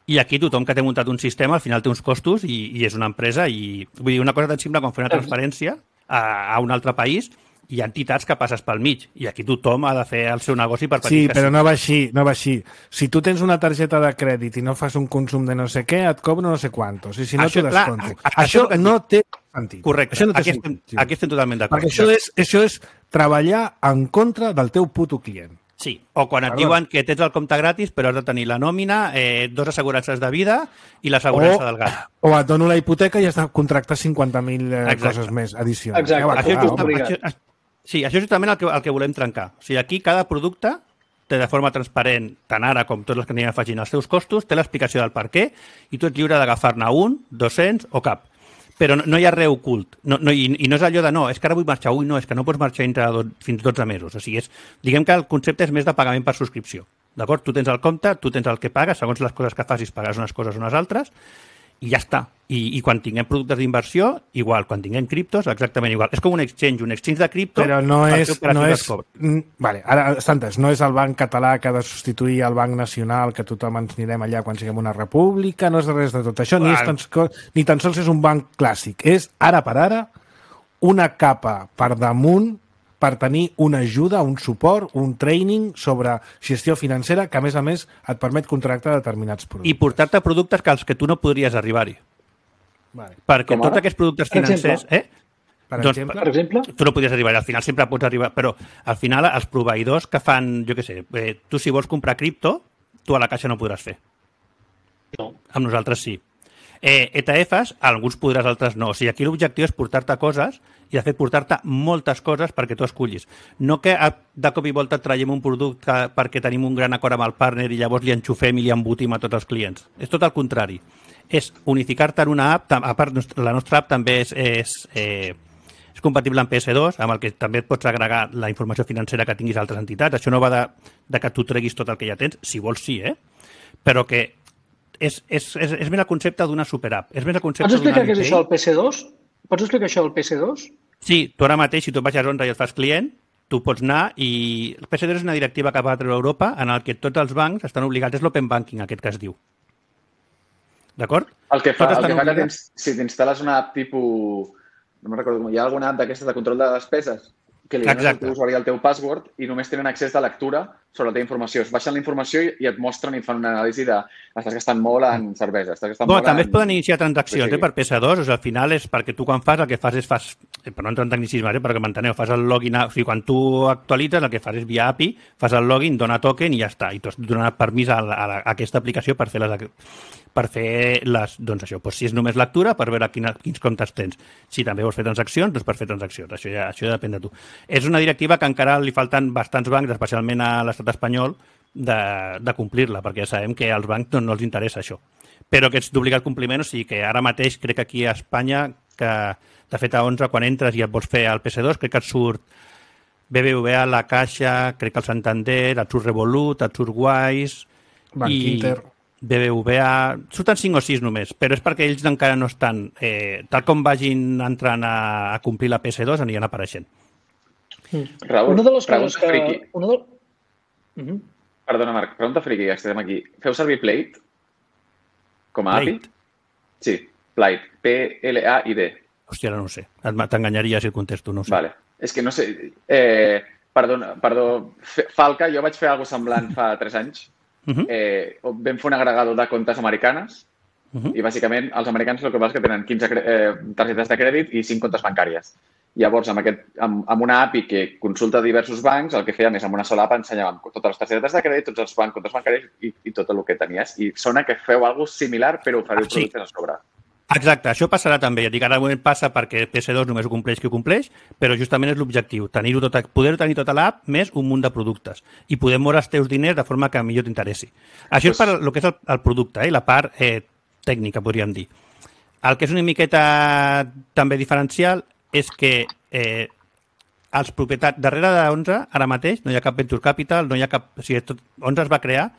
Speaker 3: I aquí tothom que té muntat un sistema al final té uns costos i és una empresa. I vull dir, una cosa tan simple com fer una transferència a un altre país, hi ha entitats que passes pel mig i aquí tothom ha de fer el seu negoci per petit que
Speaker 2: però no va així. Si tu tens una targeta de crèdit i no fas un consum de no sé què, et cobro no sé quantos. I si no, t'ho desconto. Això no té sentit.
Speaker 3: Correcte.
Speaker 2: Això no té sentit.
Speaker 3: Aquí estem totalment d'acord.
Speaker 2: Perquè això és treballar en contra del teu puto client.
Speaker 3: Sí, o quan et diuen que tens el compte gratis però has de tenir la nòmina, 2 assegurances de vida i l'assegurança del gat.
Speaker 2: O et dono la hipoteca i has de contractar 50.000 coses més addicionals.
Speaker 5: Exacte.
Speaker 3: Sí, això és justament el que volem trencar. O sigui, aquí cada producte té de forma transparent, tant ara com tots els que anirem afegint els seus costos, té l'explicació del per què i tu ets lliure d'agafar-ne 1, 200 o cap. Però no hi ha res ocult. I no és allò de no, és que ara vull marxar, és que no pots marxar fins 12 mesos. O sigui, diguem que el concepte és més de pagament per subscripció. D'acord? Tu tens el compte, tu tens el que pagues, segons les coses que facis pagues unes coses o unes altres, i ja està. I quan tinguem productes d'inversió, igual. Quan tinguem criptos, exactament igual. És com un exchange de cripto.
Speaker 2: Però no és... Vale, ara, Santes, no és el banc català que ha de substituir el banc nacional, que tothom ens anirem allà quan siguem una república, no és res de tot això, ni tan sols és un banc clàssic. És, ara per ara, una capa per damunt per tenir una ajuda, un suport, un training sobre gestió financera que, a més, et permet contractar determinats productes.
Speaker 3: I portar-te productes als que tu no podries arribar-hi.
Speaker 2: Vale.
Speaker 3: Perquè tots aquests productes financers...
Speaker 2: Per exemple?
Speaker 3: Tu no podries arribar, al final sempre pots arribar, però al final els proveïdors que fan, jo què sé, tu si vols comprar cripto, tu a la caixa no podràs fer.
Speaker 5: No.
Speaker 3: Amb nosaltres sí. ETFs, alguns podràs, altres no. O sigui, aquí l'objectiu és portar-te coses i, de fet, portar-te moltes coses perquè tu escollis. No que de cop i volta et traiem un producte perquè tenim un gran acord amb el partner i llavors li enxufem i li embotim a tots els clients. És tot el contrari. És unificar-te en una app, a part la nostra app també és compatible amb PS2, amb el que també et pots agregar la informació financera que tinguis a altres entitats. Això no va de que tu treguis tot el que ja tens, si vols sí, però que és més el concepte d'una superapp. És més el concepte
Speaker 5: Pots explicar què és això del PC2? Pots explicar això del PC2?
Speaker 3: Sí, tu ara mateix, si tu baixes Onra i et fas client, tu pots anar i... El PC2 és una directiva que va treure a Europa en el que tots els bancs estan obligats, és l'open banking, aquest que es diu. D'acord?
Speaker 4: El que fa que si t'instal·les una app tipus... No me'n recordo com... Hi ha alguna app d'aquestes de control de despeses que li dones al teu usuari el teu password i només tenen accés de lectura sobre la teva informació. Es baixen la informació i et mostren i fan una anàlisi de estàs gastant molt en cervesa, estàs gastant molt
Speaker 3: també es poden iniciar transaccions per PS2, o sigui, al final és perquè tu quan fas el que fas és per no entrar en tecnicisme, perquè m'enteneu, fas el login, o sigui, quan tu actualitzes el que fas és via API, fas el login, dona token i ja està, i tu has donat permís a aquesta aplicació per fer les, doncs això, si és només lectura, per veure quins comptes tens. Si també vols fer transaccions, doncs per fer transaccions. Això ja depèn de tu. És una directiva que encara li falten bastants bancs, especialment a l'estat espanyol, de complir-la, perquè ja sabem que als bancs no els interessa això. Però que és d'obligat compliment, o sigui que ara mateix crec que aquí a Espanya, que de fet a 11, quan entres i et vols fer el PC2, crec que et surt BBVA, La Caixa, crec que el Santander, et surt Revolut, et surt Wise...
Speaker 2: Banc Inter...
Speaker 3: BBVA, surten 5 o 6 només, però és perquè ells encara no estan, tal com vagin entrant a complir la PS2, aniran apareixent.
Speaker 4: Raül,
Speaker 5: una de les coses que...
Speaker 4: Perdona, Marc, pregunta friqui, ja estem aquí. Feu servir Plate com a API? Sí, Plate, P-L-A-I-D.
Speaker 3: Hòstia, ara no ho sé. T'enganyaria si el contesto, no ho sé.
Speaker 4: Vale. És que no sé... Perdó, Falca, jo vaig fer alguna cosa semblant fa 3 anys. Vam fer un agregador de comptes americanes i bàsicament els americans el que passa és que tenen 15 targetes de crèdit i 5 comptes bancàries. Llavors, amb una API que consulta diversos bancs, el que fèiem és amb una sola app ensenyàvem totes les targetes de crèdit, tots els comptes bancaris i tot el que tenies. I sona que feu alguna cosa similar però oferiu productes a sobre.
Speaker 3: Exacte, això passarà també. Ja dic, ara passa perquè PS2 només ho compleix qui ho compleix, però justament és l'objectiu, poder tenir tota l'app més un munt de productes i poder moure els teus diners de forma que millor t'interessi. Això és per el que és el producte, la part tècnica, podríem dir. El que és una miqueta també diferencial és que els propietats, darrere d'11, ara mateix, no hi ha cap Venture Capital, no hi ha cap... O sigui, 11 es va crear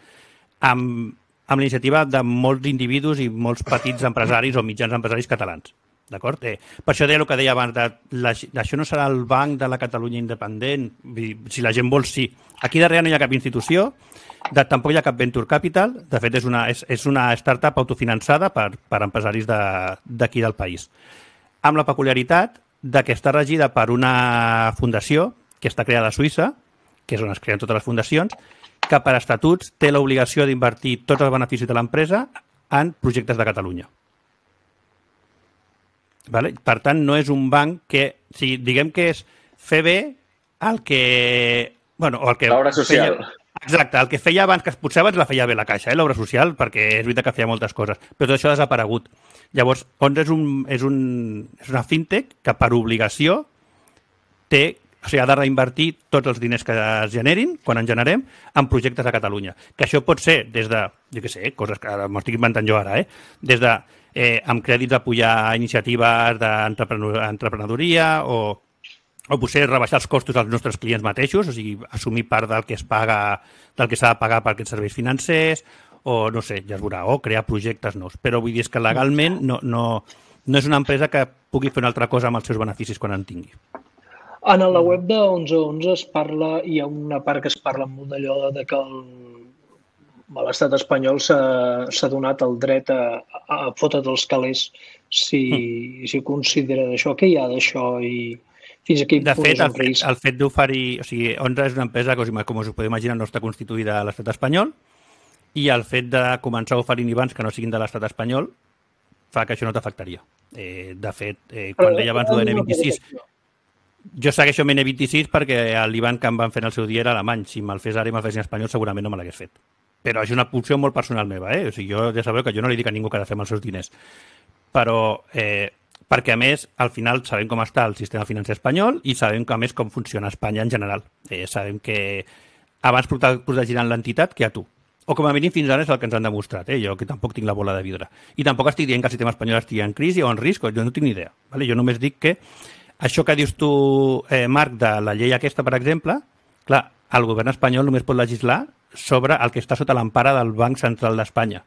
Speaker 3: amb l'iniciativa de molts individus i molts petits empresaris o mitjans empresaris catalans. D'acord? Per això deia el que deia abans, això no serà el banc de la Catalunya independent, si la gent vol, sí. Aquí darrere no hi ha cap institució, tampoc hi ha cap Venture Capital, de fet és una startup autofinançada per empresaris d'aquí del país. Amb la peculiaritat que està regida per una fundació que està creada a Suïssa, que és on es creen totes les fundacions, que per estatuts té l'obligació d'invertir tots els beneficis de l'empresa en projectes de Catalunya. Vale? Per tant, no és un banc que... O sigui, diguem que és fer bé el que... Bueno, o el que
Speaker 4: l'obra social.
Speaker 3: Exacte, el que feia abans, que potser abans la feia bé la Caixa, l'obra social, perquè és veritat que feia moltes coses, però tot això ha desaparegut. Llavors, Onze és una fintech que per obligació té... O sigui, ha de reinvertir tots els diners que es generin, quan en generem, en projectes a Catalunya. Que això pot ser des de, jo què sé, coses que ara m'ho estic inventant jo ara, des de amb crèdits apoyar iniciatives d'emprenedoria o potser rebaixar els costos als nostres clients mateixos, o sigui, assumir part del que s'ha de pagar per aquests serveis financers, o no sé, ja es veurà, o crear projectes nous. Però vull dir que legalment no és una empresa que pugui fer una altra cosa amb els seus beneficis quan en tingui.
Speaker 5: En la web de 1111 es parla, hi ha una part que es parla molt d'allò de que l'estat espanyol s'ha donat el dret a fotre's els calés si considera d'això. Què hi ha d'això i fins a quin punt és un risc?
Speaker 3: El fet d'oferir... O sigui, Onze és una empresa que, com us podeu imaginar, no està constituïda a l'estat espanyol i el fet de començar a oferir IBANs que no siguin de l'estat espanyol fa que això no t'afectaria. De fet, quan deia abans de N26... Jo segueixo amb N26 perquè l'IBAN que em van fer en el seu dia era alemany. Si me'l fes ara i me'l fes en espanyol segurament no me l'hagués fet. Però és una opció molt personal meva. O sigui, jo ja sabeu que jo no li dic a ningú que ha de fer amb els seus diners. Però perquè a més al final sabem com està el sistema financer espanyol i sabem a més com funciona Espanya en general. Sabem que abans protegiran l'entitat que a tu. O com a mínim fins ara és el que ens han demostrat. Jo que tampoc tinc la bola de vidre. I tampoc estic dient que el sistema espanyol estigui en crisi o en risc, jo no tinc ni idea. Jo només dic que això que dius tu, Marc, de la llei aquesta, per exemple, clar, el govern espanyol només pot legislar sobre el que està sota l'empara del Banc Central d'Espanya.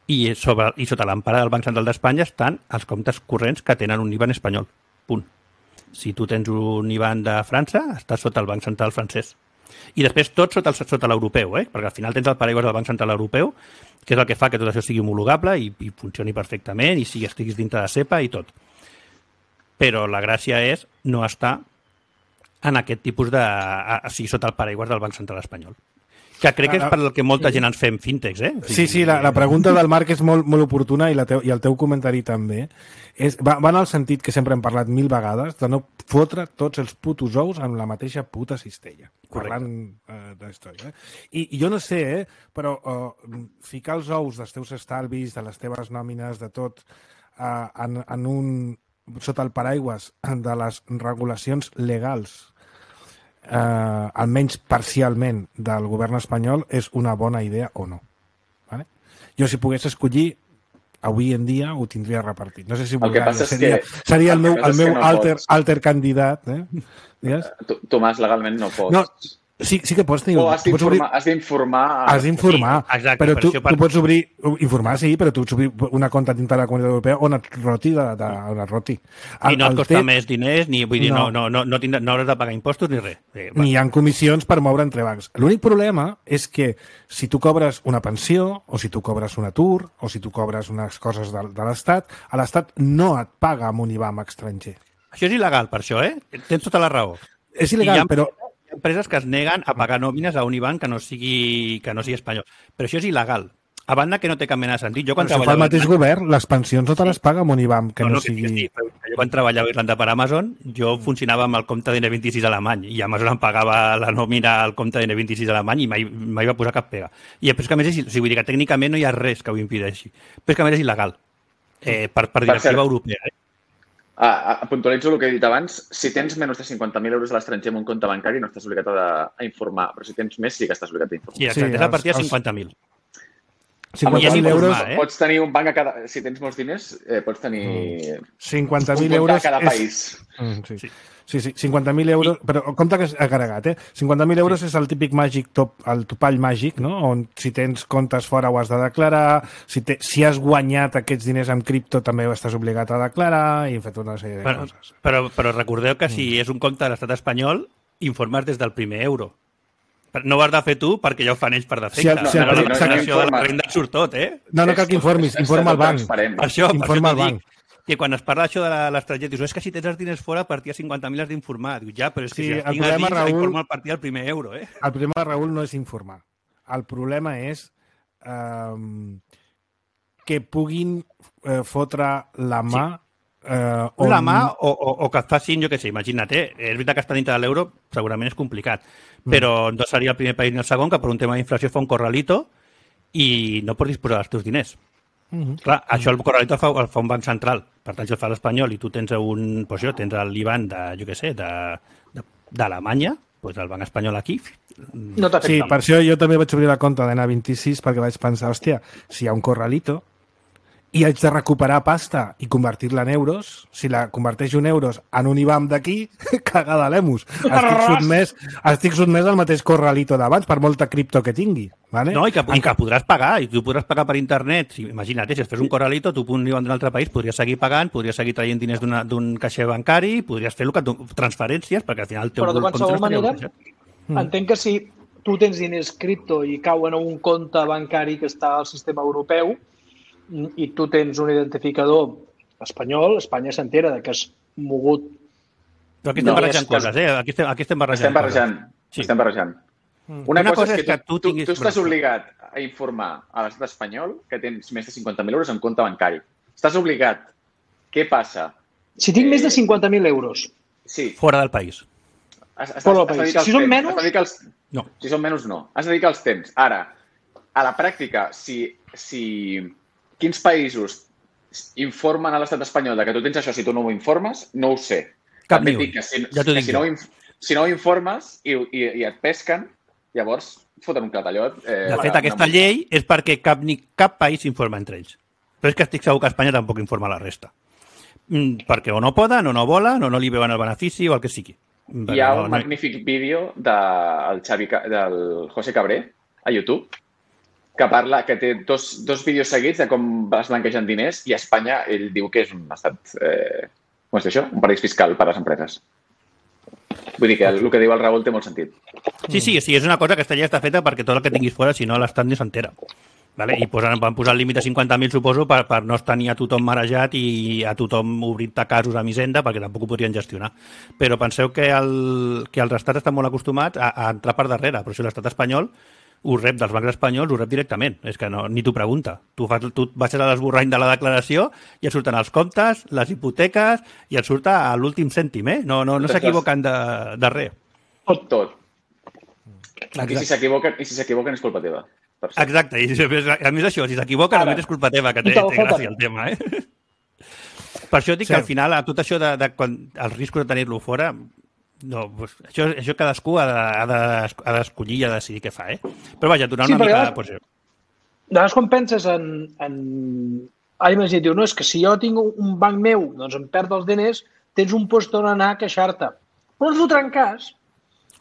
Speaker 3: i sota l'empara del Banc Central d'Espanya estan els comptes corrents que tenen un IBAN espanyol. Punt. Si tu tens un IBAN de França, estàs sota el Banc Central francès. I després tot sota l'europeu, perquè al final tens el paraigües del Banc Central Europeu, que és el que fa que tot això sigui homologable i funcioni perfectament i estiguis dintre de CEPA i tot. Però la gràcia és no estar en aquest tipus de... sigui sota el paraigües del Banc Central espanyol. Que crec que és per el que molta gent ens fem fintechs,
Speaker 2: Sí, la pregunta del Marc és molt oportuna i el teu comentari també. Va en el sentit que sempre hem parlat 1000 vegades de no fotre tots els putos ous en la mateixa puta cistella. Parlant d'història. I jo no sé, però ficar els ous dels teus estalvis, de les teves nòmines, de tot, sota el paraigües de les regulacions legals, almenys parcialment, del govern espanyol, és una bona idea o no. Vale? Jo, si pogués escollir, avui en dia ho tindria repartit. No sé si seria el meu alter candidat.
Speaker 4: Tomàs, legalment no pots.
Speaker 2: No, sí que pots tenir...
Speaker 4: O has d'informar...
Speaker 2: Has d'informar,
Speaker 3: exacte,
Speaker 2: però tu pots obrir... Informar, sí, però tu pots obrir una compte dintre de la Comunitat Europea on et roti.
Speaker 3: I no et costa més diners, ni vull dir, no hauràs de pagar impostos ni res.
Speaker 2: Ni hi ha comissions per moure entre bancs. L'únic problema és que si tu cobres una pensió, o si tu cobres un atur, o si tu cobres unes coses de l'Estat, a l'Estat no et paga amb un IBAN estranger.
Speaker 3: Això és il·legal, per això, Tens tota la raó.
Speaker 2: És il·legal, però...
Speaker 3: empreses que es neguen a pagar nòmines a un IBAN que no sigui espanyol. Però això és il·legal. A banda que no té cap mena de sentit. Jo, quan
Speaker 2: però si fa el mateix govern, les pensions no te les paga amb un IBAN que no sigui...
Speaker 3: Sí, jo quan treballava a Irlanda per Amazon, jo funcionava amb el compte d'N26 alemany i Amazon em pagava la nòmina al compte d'N26 alemany i mai va posar cap pega. I després que a més, vull dir que tècnicament no hi ha res que ho impedeixi. Però és que a més és il·legal per directiva europea.
Speaker 4: Puntualitzo el que he dit abans. Si tens menys de 50.000 euros a l'estranger en un compte bancari no estàs obligat a informar, però si tens més sí que estàs obligat a informar.
Speaker 3: Sí, exacte, és a partir de 50.000.
Speaker 2: 50.000 euros...
Speaker 4: Pots tenir un banc a cada... Si tens molts diners, pots tenir
Speaker 2: 50.000 euros
Speaker 4: a cada país.
Speaker 2: Sí, 50.000 euros, però compte que és agregat, 50.000 euros és el típic màgic el topall màgic, no? On si tens comptes fora ho has de declarar, si has guanyat aquests diners amb cripto també ho estàs obligat a declarar i hem fet una sèrie de coses.
Speaker 3: Però recordeu que si és un compte de l'estat espanyol, informes des del primer euro. No ho has de fer tu perquè ja ho fan ells per defecte. La declaració de la renda surt tot,
Speaker 2: No cal que informis, informa el banc.
Speaker 3: Per això dic que quan es parla això de l'estranger, dius, és que si tens els diners fora, a partir de 50.000 has d'informar. Dius, ja, però és que si els tinc a dins, informa a partir del primer euro,
Speaker 2: El problema, Raül, no és informar. El problema és que puguin fotre la mà...
Speaker 3: La mà o que et facin, jo què sé, imagina't, és veritat que està dintre de l'euro, segurament és complicat, però no seria el primer país ni el segon que per un tema d'inflació fa un corralito i no pots disposar dels teus diners. Clar, això el corralito el fa un banc central. Per tant, si el fa l'espanyol i tu tens tens l'IBAN d'Alemanya, doncs el banc espanyol aquí...
Speaker 5: No t'afecta.
Speaker 2: Sí, per això jo també vaig obrir la compte d'N26 perquè vaig pensar, hòstia, si hi ha un corralito i haig de recuperar pasta i convertir-la en euros, si la converteixo en euros en un IBAN d'aquí, cagada l'emus. Estic sotmès al mateix corralito d'abans, per molta cripto que tingui. Vale?
Speaker 3: No, i que podràs pagar, i tu podràs pagar per internet. Imagina't, si es fes un corralito, tu un IBAN d'un altre país, podries seguir pagant, podries seguir traient diners d'un caixer bancari, podries fer transferències, perquè al final el teu...
Speaker 5: Però de qualsevol manera, entenc que si tu tens diners cripto i cauen a un compte bancari que està al sistema europeu, i tu tens un identificador espanyol, Espanya s'entera que has mogut...
Speaker 3: Però aquí estem barrejant coses, Aquí estem barrejant.
Speaker 4: Estem barrejant. Una cosa és que tu estàs obligat a informar a l'estat espanyol que tens més de 50.000 euros en compte bancari. Estàs obligat. Què passa?
Speaker 5: Si tinc més de 50.000 euros.
Speaker 4: Sí.
Speaker 3: Fora del país.
Speaker 5: Fora del país. Si són menys...
Speaker 3: No.
Speaker 4: Si són menys, no. Has de dedicar els temps. Ara, a la pràctica, quins països informen a l'estat espanyol que tu tens això si tu no ho informes? No ho sé.
Speaker 3: Cap ni un.
Speaker 4: Si no ho informes i et pesquen, llavors foten un clatallot.
Speaker 3: De fet, aquesta llei és perquè cap país informa entre ells. Però és que estic segur que Espanya tampoc informa la resta. Perquè o no poden, o no volen, o no li veuen el benefici, o el que sigui.
Speaker 4: Hi ha un magnífic vídeo del José Cabré a YouTube que parla, que té dos vídeos seguits de com es blanquegen diners i a Espanya ell diu que és un estat, com es diu això? Un paradís fiscal per a les empreses. Vull dir que el que diu el Raül té molt sentit.
Speaker 3: Sí, és una cosa que aquesta llei està feta perquè tot el que tinguis fora, si no, l'Estat ni s'entera. Vale? I van posar el límit de 50.000, suposo, per no estar ni a tothom marejat i a tothom obrint-te casos amb Hisenda, perquè tampoc ho podrien gestionar. Però penseu que els estats estan molt acostumats a entrar per darrere, però si l'estat espanyol ho rep dels bancs espanyols, ho rep directament. És que no, ni t'ho pregunta. Tu vas a l'esborrany de la declaració i et surten els comptes, les hipoteques i et surt a l'últim cèntim, eh? No s'equivoquen de res.
Speaker 4: Tot. I si s'equivoquen és culpa teva.
Speaker 3: Exacte, i a més això, si s'equivoca només és culpa teva, que té gràcia el tema, eh? Per això dic que al final, a tot això de els riscos de tenir-lo fora, no, pues, això cadascú ha d'escollir i ha de decidir què fa, eh? Però vaja, donar una mica...
Speaker 5: De vegades quan penses en... Ara imagina't, diu, no, és que si jo tinc un banc meu, doncs em perd els diners, tens un lloc on anar a queixar-te. Però no et fotran cas.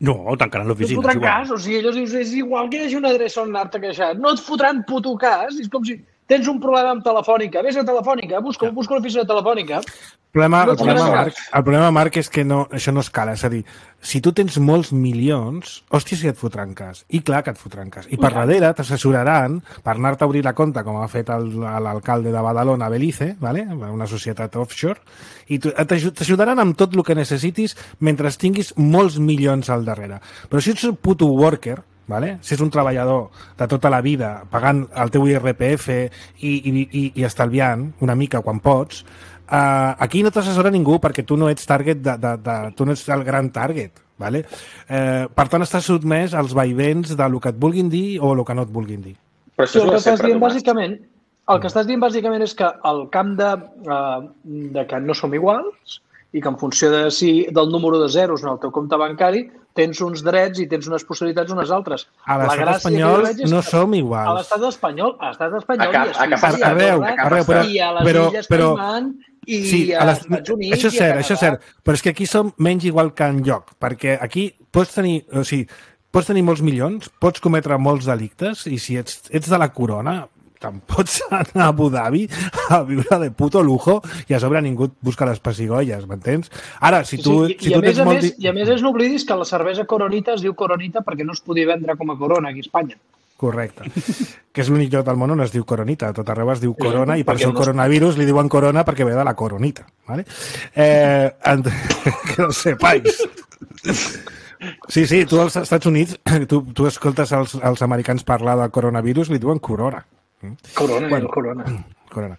Speaker 3: No, tancaran l'oficina.
Speaker 5: No et fotran cas, o sigui, ells dius, és igual que hi hagi una adreça on anar-te a queixar. No et fotran puto cas, és com si tens un problema amb Telefònica, vés a Telefònica, busca l'oficina de Telefònica.
Speaker 2: El problema, Marc, és que això no escala. És a dir, si tu tens molts milions, hòstia, si et fotran cas. I clar que et fotran cas. I per darrere t'assessoraran per anar-te a obrir la compte, com ha fet l'alcalde de Badalona, Belize, ¿vale? Una societat offshore, i t'ajudaran amb tot el que necessitis mentre tinguis molts milions al darrere. Però si ets un puto worker, ¿vale? Si és un treballador de tota la vida pagant el teu IRPF i estalviant una mica quan pots, aquí no t'assessora ningú perquè tu no ets target tu no ets el gran target, ¿vale? Per tant estàs sotmès als vaivens del que et vulguin dir o el que no et vulguin dir.
Speaker 5: Però això el que estàs dient bàsicament és que el camp de que no som iguals i que en funció del número de zeros en el teu compte bancari tens uns drets i tens unes possibilitats unes altres.
Speaker 2: A l'estat espanyol no som iguals.
Speaker 5: A l'estat espanyol
Speaker 2: i
Speaker 5: a les Illes Caimán i als Estats Units.
Speaker 2: Això és cert, però és que aquí som menys igual que enlloc, perquè aquí pots tenir molts milions, pots cometre molts delictes i si ets de la corona te'n pots anar a Abu Dhabi a viure de puto lujo i a sobre ningú et busca les pessigolles, m'entens? Ara, si tu tens molt...
Speaker 5: I a més n'oblidis que la cervesa Coronita es diu Coronita perquè no es podia vendre com a Corona aquí a Espanya.
Speaker 2: Correcte. Que és l'únic lloc del món on es diu Coronita. A tot arreu es diu Corona i per això el coronavirus li diuen Corona perquè ve de la Coronita. ¿Vale? Que no sepais. Sí, tu als Estats Units, tu escoltes els americans parlar de coronavirus, li diuen Corona.
Speaker 5: Corona.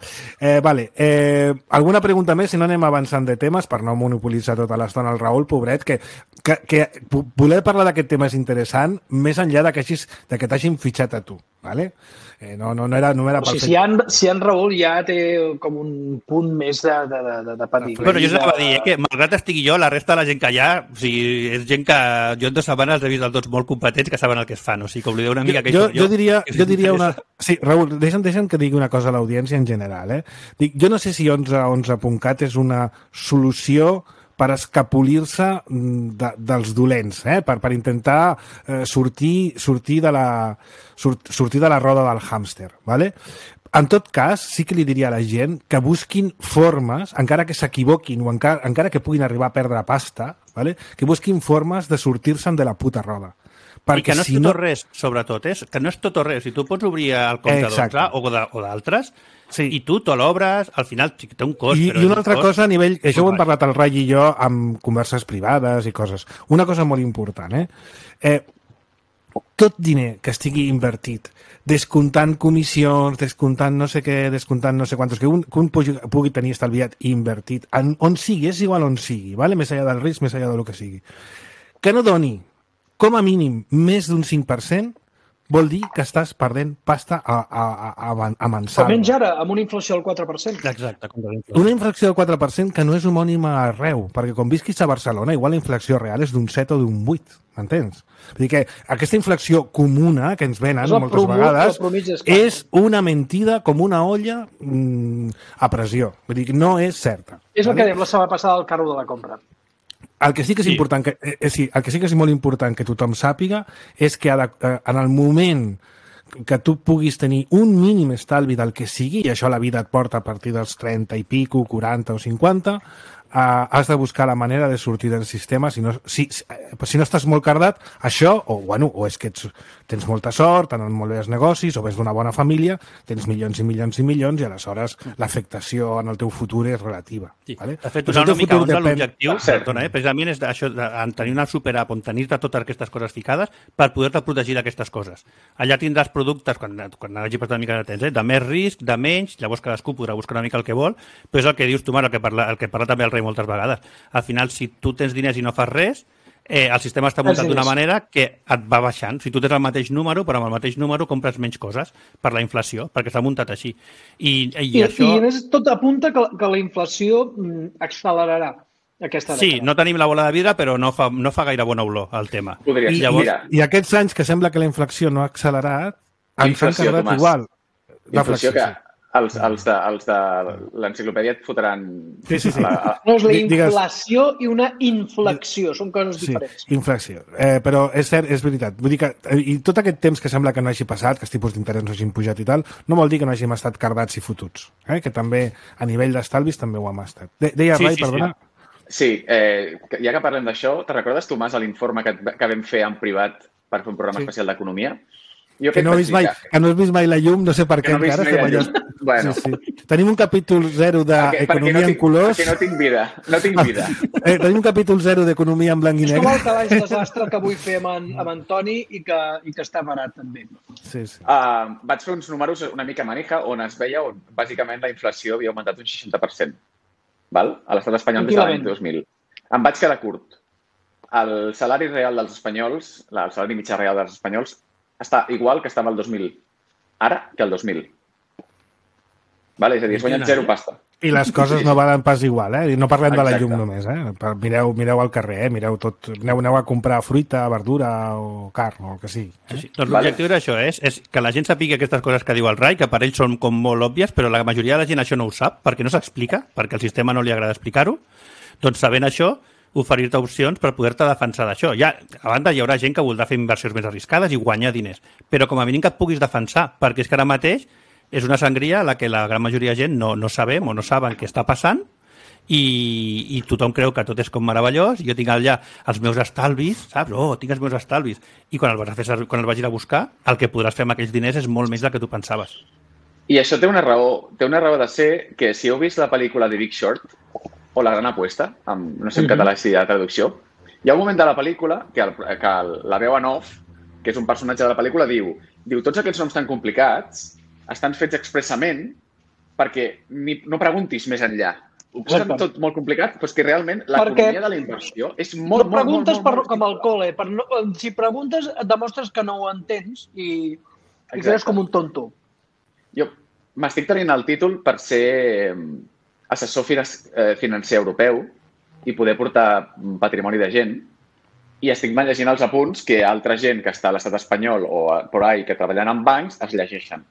Speaker 2: Vale. Alguna pregunta més? Si no anem avançant de temes per no monopolitzar tota l'estona el Raül, pobret, que voler parlar d'aquest tema és interessant més enllà que t'hagin fitxat a tu, ¿vale? No era per
Speaker 5: fer... Si en Raül ja té com un punt més de patir.
Speaker 3: Bueno, jo s'anava a dir que malgrat estigui jo, la resta de la gent que hi ha, o sigui, és gent que jo en 2 setmanes he vist tots molt competents que saben el que es fan, o sigui, que oblideu una mica que
Speaker 2: jo diria una... Sí, Raül, deixa'm que digui una cosa a l'audiència en general, eh? Jo no sé si 11.cat és una solució per escapolir-se dels dolents, per intentar sortir de la roda del hàmster, ¿vale? En tot cas, sí que li diria a la gent que busquin formes, encara que s'equivoquin o encara que puguin arribar a perdre pasta, ¿vale? Que busquin formes de sortir-se'n de la puta roda.
Speaker 3: Perquè I que no és tot o res, sobretot, que no és tot o res. Si tu pots obrir el compte d'11 o d'altres, sí. I tu te l'obres, al final té un cost.
Speaker 2: I una altra cosa a nivell... Això ho hem parlat el Rai i jo amb converses privades i coses. Una cosa molt important, tot diner que estigui invertit, descomptant comissions, descomptant no sé què, descomptant no sé quantos, que un pugui tenir estalviat i invertit, on sigui, és igual on sigui, ¿vale? Més enllà del risc, més enllà del que sigui. Que no doni, com a mínim, més d'un 5%, vol dir que estàs perdent pasta a mensal.
Speaker 5: Almenys ara, amb una inflació del 4%.
Speaker 3: Exacte.
Speaker 2: Una inflació del 4% que no és homònima arreu, perquè quan visquis a Barcelona, igual la inflació real és d'un 7 o d'un 8, m'entens? Vull dir que aquesta inflació comuna que ens venen moltes vegades és una mentida com una olla a pressió. Vull dir que no és certa.
Speaker 5: És el que dèiem la setmana passada al carro de la compra.
Speaker 2: El que sí que és important, el que sí que és molt important que tothom sàpiga és que en el moment que tu puguis tenir un mínim estalvi del que sigui, i això la vida et porta a partir dels 30 i pico, 40 o 50, has de buscar la manera de sortir del sistema. Si no estàs molt cardat, això, o és que tens molta sort, t'han molt bé els negocis, o vés d'una bona família, tens milions i milions i milions, i aleshores l'afectació en el teu futur és relativa.
Speaker 3: Sí.
Speaker 2: Vale?
Speaker 3: De fet, una mica l'objectiu, precisament és això, tenir una superapp on tenir-te totes aquestes coses ficades per poder-te protegir d'aquestes coses. Allà tindràs productes, quan hagi passat una mica de temps, de més risc, de menys, llavors cadascú podrà buscar una mica el que vol, però és el que dius tu, Marc, el que parla també el Rei moltes vegades. Al final, si tu tens diners i no fas res, el sistema està muntat d'una manera que et va baixant. Si tu tens el mateix número, però amb el mateix número compres menys coses per la inflació, perquè està muntat així. I això...
Speaker 5: I a més, tot apunta que la inflació accelerarà aquesta dècada.
Speaker 3: Sí, no tenim la bola de vidre, però no fa gaire bona olor el tema.
Speaker 2: I aquests anys que sembla que la inflació no ha accelerat, ens han quedat igual.
Speaker 4: Inflació que els de l'enciclopèdia et fotran...
Speaker 5: Sí. No, és la inflació i una inflexió, són coses diferents.
Speaker 2: Sí, inflexió. Però és cert, és veritat. Vull dir que i tot aquest temps que sembla que no hagi passat, que els tipus d'interès no hagin pujat i tal, no vol dir que no hàgim estat cardats i fotuts. Que també, a nivell d'estalvis, també ho hem estat. Deia Rai, perdona?
Speaker 4: Sí, ja que parlem d'això, te recordes, Tomàs, l'informe que vam fer en privat per fer un programa especial d'economia?
Speaker 2: Que no has vist mai la llum, no sé per què encara.
Speaker 4: Bueno.
Speaker 2: Sí. Tenim un capítol 0 d'economia en colors.
Speaker 4: Perquè no tinc vida.
Speaker 2: Tenim un capítol 0 d'economia en blanc i negre.
Speaker 5: És com el calaix desastre que vull fer amb Antoni i que està barat també.
Speaker 2: Sí.
Speaker 4: Vaig fer uns números una mica manija on es veia on bàsicament la inflació havia augmentat un 60%. Val? A l'estat espanyol des de l'any 2000. Em vaig quedar curt. El salari real dels espanyols, el salari mitjà real dels espanyols, està igual que estava el 2000 ara que el 2000. Vale? És a dir, es guanyen 0 pasta.
Speaker 2: I les coses no valen pas igual, eh? No parlem de la llum només, eh? Mireu al carrer, mireu tot. Aneu a comprar fruita, verdura o carn o el que sigui.
Speaker 3: Sí. Doncs l'objectiu era això, és que la gent sàpiga aquestes coses que diu el Rai, que per ells són com molt òbvies, però la majoria de la gent això no ho sap, perquè no s'explica, perquè al sistema no li agrada explicar-ho. Doncs sabent això, oferir-te opcions per poder-te defensar d'això. Ja, a banda, hi haurà gent que voldrà fer inversions més arriscades i guanyar diners, però com a mínim que et puguis defensar, perquè és que ara mateix és una sangria a la que la gran majoria de gent no sabem o no saben què està passant i tothom creu que tot és com meravellós. Jo tinc allà els meus estalvis, saps? Tinc els meus estalvis. I quan els vagis a buscar, el que podràs fer amb aquells diners és molt més del que tu pensaves.
Speaker 4: I això té una raó de ser que si heu vist la pel·lícula de Big Short, o La gran apuesta, no sé en català si hi ha traducció, hi ha un moment de la pel·lícula que la veu en off, que és un personatge de la pel·lícula, diu tots aquests noms tan complicats estan fets expressament perquè no preguntis més enllà. Ho posen tot molt complicat, però és que realment l'economia de la inversió és molt...
Speaker 5: No preguntes com al col·le. Si preguntes, et demostres que no ho entens i quedes com un tonto.
Speaker 4: Jo m'estic tenint el títol per ser assessor financer europeu i poder portar patrimoni de gent i estic llegint els apunts que altra gent que està a l'estat espanyol o por ahí que treballen en bancs es llegeixen.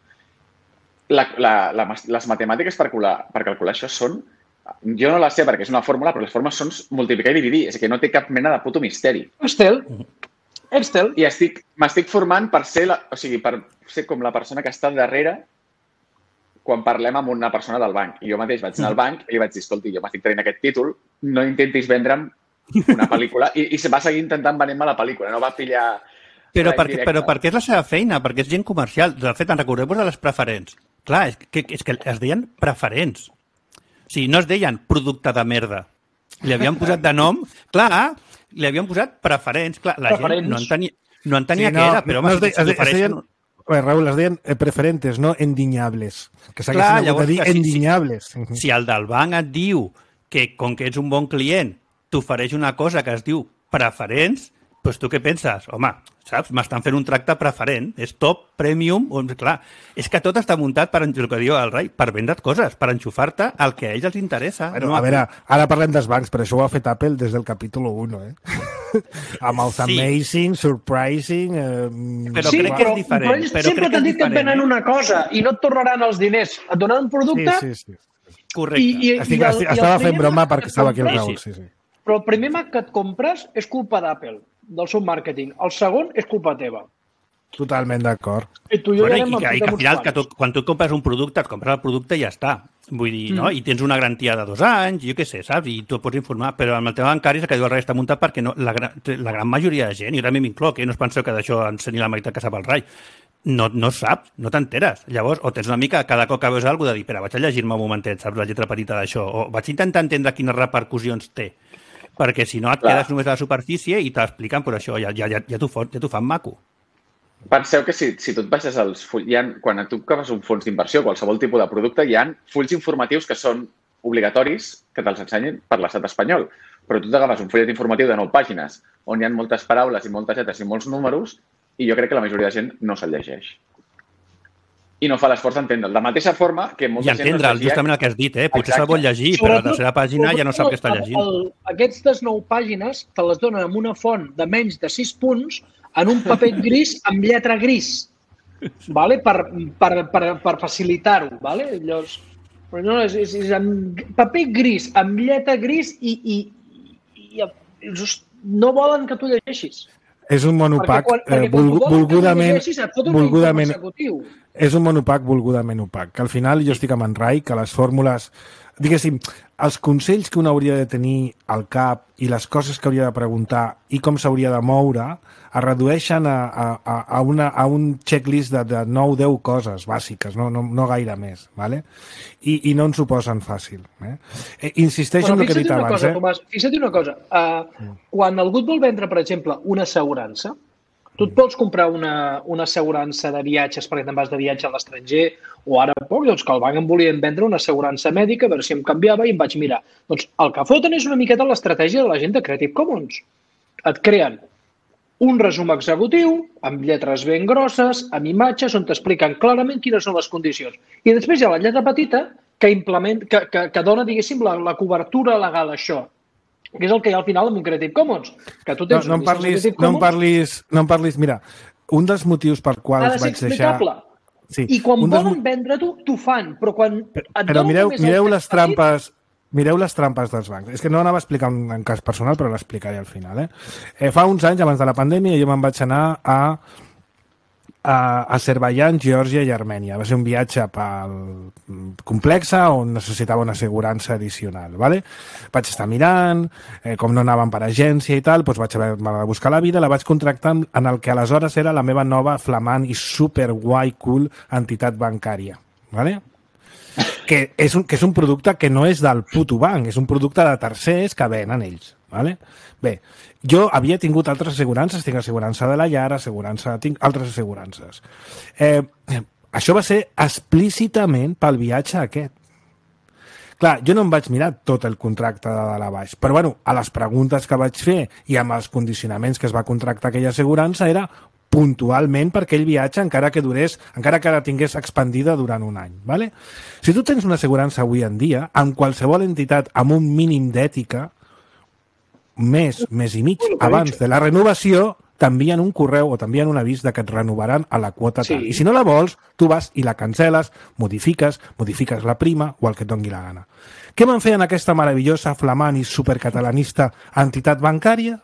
Speaker 4: Les matemàtiques per calcular això són... Jo no les sé perquè és una fórmula, però les fórmules són multiplicar i dividir. És que no té cap mena de puto misteri.
Speaker 5: Excel.
Speaker 4: I m'estic formant per ser com la persona que està darrere quan parlem amb una persona del banc. I jo mateix vaig anar al banc i li vaig dir, escolti, jo m'estic tenint aquest títol, no intentis vendre'm una pel·lícula. I se va seguir intentant venir-me la pel·lícula, no va pillar...
Speaker 3: Però perquè és la seva feina, perquè és gent comercial. De fet, en recordeu-vos de les preferents. Clar, és que es deien preferents. O sigui, no es deien producte de merda. Li havien posat de nom... Clar, li havien posat preferents. Clar, la gent no entenia què era, però home, si t'ofereixen...
Speaker 2: Raül, es deien preferentes, no endiñables. Que s'haguessin hagut de dir endiñables.
Speaker 3: Si el del banc et diu que, com que ets un bon client, t'ofereix una cosa que es diu preferents, doncs tu què penses? Home, saps? M'estan fent un tracte preferent. És top, premium... Clar, és que tot està muntat, per el que diu el Rai, per vendre't coses, per enxufar-te el que a ells els interessa.
Speaker 2: Bueno, a veure, ara parlem dels bancs, però això ho ha fet Apple des del capítol 1, amb els amazing, surprising...
Speaker 3: Però crec que és diferent.
Speaker 5: Però sempre t'han dit que et venen una cosa i no et tornaran els diners. Et donen un producte...
Speaker 2: Sí.
Speaker 3: Correcte.
Speaker 2: Estava fent broma perquè estava aquí el Raül, sí.
Speaker 5: Però el primer Mac que et compres és culpa d'Apple, del seu màrqueting. El segon és culpa teva.
Speaker 2: Totalment d'acord.
Speaker 3: I que al final, quan tu compres un producte, et compres el producte i ja està. Vull dir, no? I tens una garantia de 2 anys, jo què sé, saps? I tu et pots informar. Però amb el tema bancari és que diu al rei està muntat perquè la gran majoria de gent, i també m'incloc, no us penseu que d'això ensenyi la meitat que sap el rai, no saps, no t'enteres. Llavors, o tens una mica, cada cop que veus alguna cosa, de dir, espera, vaig a llegir-me un momentet, saps, la lletra petita d'això, o vaig intentar entendre quines repercussions té, perquè si no et quedes només a la superfície i t'expliquen, però això ja t'ho fan maco.
Speaker 4: Penseu que si tu et baixes els fulls, quan tu agafes un fons d'inversió, qualsevol tipus de producte, hi ha fulls informatius que són obligatoris que te'ls ensenyin per l'estat espanyol. Però tu t'agafes un fullet informatiu de 9 pàgines on hi ha moltes paraules i moltes lletres i molts números i jo crec que la majoria de gent no se'l llegeix. I no fa l'esforç d'entendre'l. De la mateixa forma que molta gent...
Speaker 3: I entendre'l, justament el que has dit, Potser se'l vol llegir, però a la tercera pàgina ja no sap què està llegint.
Speaker 5: Aquestes 9 pàgines te les donen amb una font de menys de 6 punts en un paper gris amb lletra gris, vale? per facilitar-ho. Vale? Llavors, és amb paper gris, amb lletra gris i no volen que tu llegeixis.
Speaker 2: És un monopac volgudament és un monopac volgudament opac. Que al final jo estic amb en Rai, que les fórmules, diguéssim, els consells que un hauria de tenir al cap i les coses que hauria de preguntar i com s'hauria de moure es redueixen a un checklist de 9-10 coses bàsiques, no gaire més, ¿vale? I no ens ho posen fàcil. Insisteixo en el que he dit abans.
Speaker 5: Tomàs, fixa't una cosa. Quan algú et vol vendre, per exemple, una assegurança, tu et pots comprar una assegurança de viatges perquè te'n vas de viatge a l'estranger o ara poc, doncs que el banc em volien vendre una assegurança mèdica a veure si em canviava i em vaig mirar. Doncs el que foten és una miqueta l'estratègia de la gent de Creative Commons. Et creen un resum executiu amb lletres ben grosses, amb imatges on t'expliquen clarament quines són les condicions. I després hi ha la lletra petita que dona, diguéssim, la cobertura legal a això. Que és el que hi ha al final amb un Creative Commons. Que tu tens
Speaker 2: no em parlis. Mira, un dels motius per quals vaig deixar...
Speaker 5: Sí, i quan volen vendre-t'ho, t'ho fan. Però quan
Speaker 2: però mireu les trampes... Mireu les trampes dels bancs. És que no anava a explicar en cas personal, però l'explicaré al final. Fa uns anys, abans de la pandèmia, jo me'n vaig anar a Azerbaiyán, Geòrgia i Armènia. Va ser un viatge complex on necessitava una assegurança addicional. Vale? Vaig estar mirant, com no anàvem per agència i tal, doncs vaig haver de buscar la vida, la vaig contractar en el que aleshores era la meva nova flamant i super guai cool entitat bancària. Vale? Que és un producte que no és del puto banc, és un producte de tercers que venen ells. Vale? Bé, jo havia tingut altres assegurances, tinc assegurança de la llar, tinc altres assegurances. Això va ser explícitament pel viatge aquest. Clar, jo no em vaig mirar tot el contracte de dalt a baix, però bueno, a les preguntes que vaig fer i amb els condicionaments que es va contractar aquella assegurança era puntualment per aquell viatge encara que la tingués expandida durant un any. Vale? Si tu tens una assegurança avui en dia, amb qualsevol entitat amb un mínim d'ètica, mes i mig abans de la renovació, t'envien un correu o t'envien un avís de que et renovaran a la quota tal. I si no la vols, tu vas i la cancel·les, modifiques la prima o el que et doni la gana. Què van fer en aquesta meravellosa, flamant i supercatalanista entitat bancària?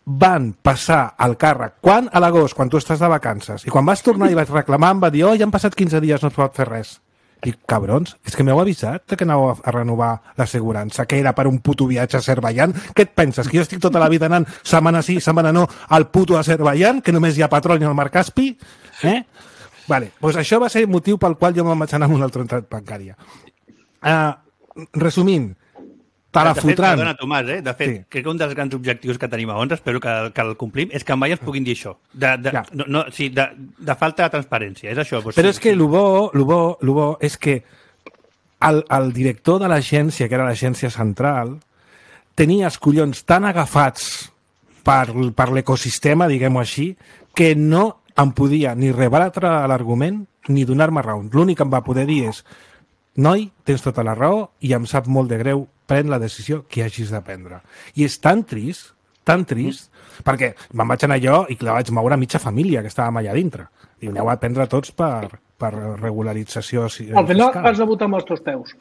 Speaker 2: Van passar al càrrec. Quan? A l'agost, quan tu estàs de vacances. I quan vas tornar i vaig reclamar, em va dir, ja han passat 15 dies, no es pot fer res. I, cabrons, és que m'heu avisat que anàveu a renovar l'assegurança, que era per un puto viatge a Azerbaiyán. Què et penses? Que jo estic tota la vida anant setmana sí, setmana no, al puto Azerbaiyán, que només hi ha petroli al mar Caspi? Vale, doncs això va ser el motiu pel qual jo me'n vaig anar amb una altra entitat bancària. Resumint, te la fotran.
Speaker 3: Perdona, Tomàs, de fet, sí. Crec que un dels grans objectius que tenim a ONS, espero que el complim, és que mai ens puguin dir això. De falta de transparència, és això.
Speaker 2: Però és que el bo és que el director de l'agència, que era l'agència central, tenia els collons tan agafats per l'ecosistema, diguem-ho així, que no em podia ni rebatre l'argument ni donar-me raó. L'únic que em va poder dir és: noi, tens tota la raó i em sap molt de greu, pren la decisió que hagis de prendre. I és tan trist, perquè me'n vaig anar jo i la vaig moure a mitja família que estàvem allà dintre. I aneu a prendre tots per regularització fiscal.
Speaker 5: Al final vas a votar amb els teus peus.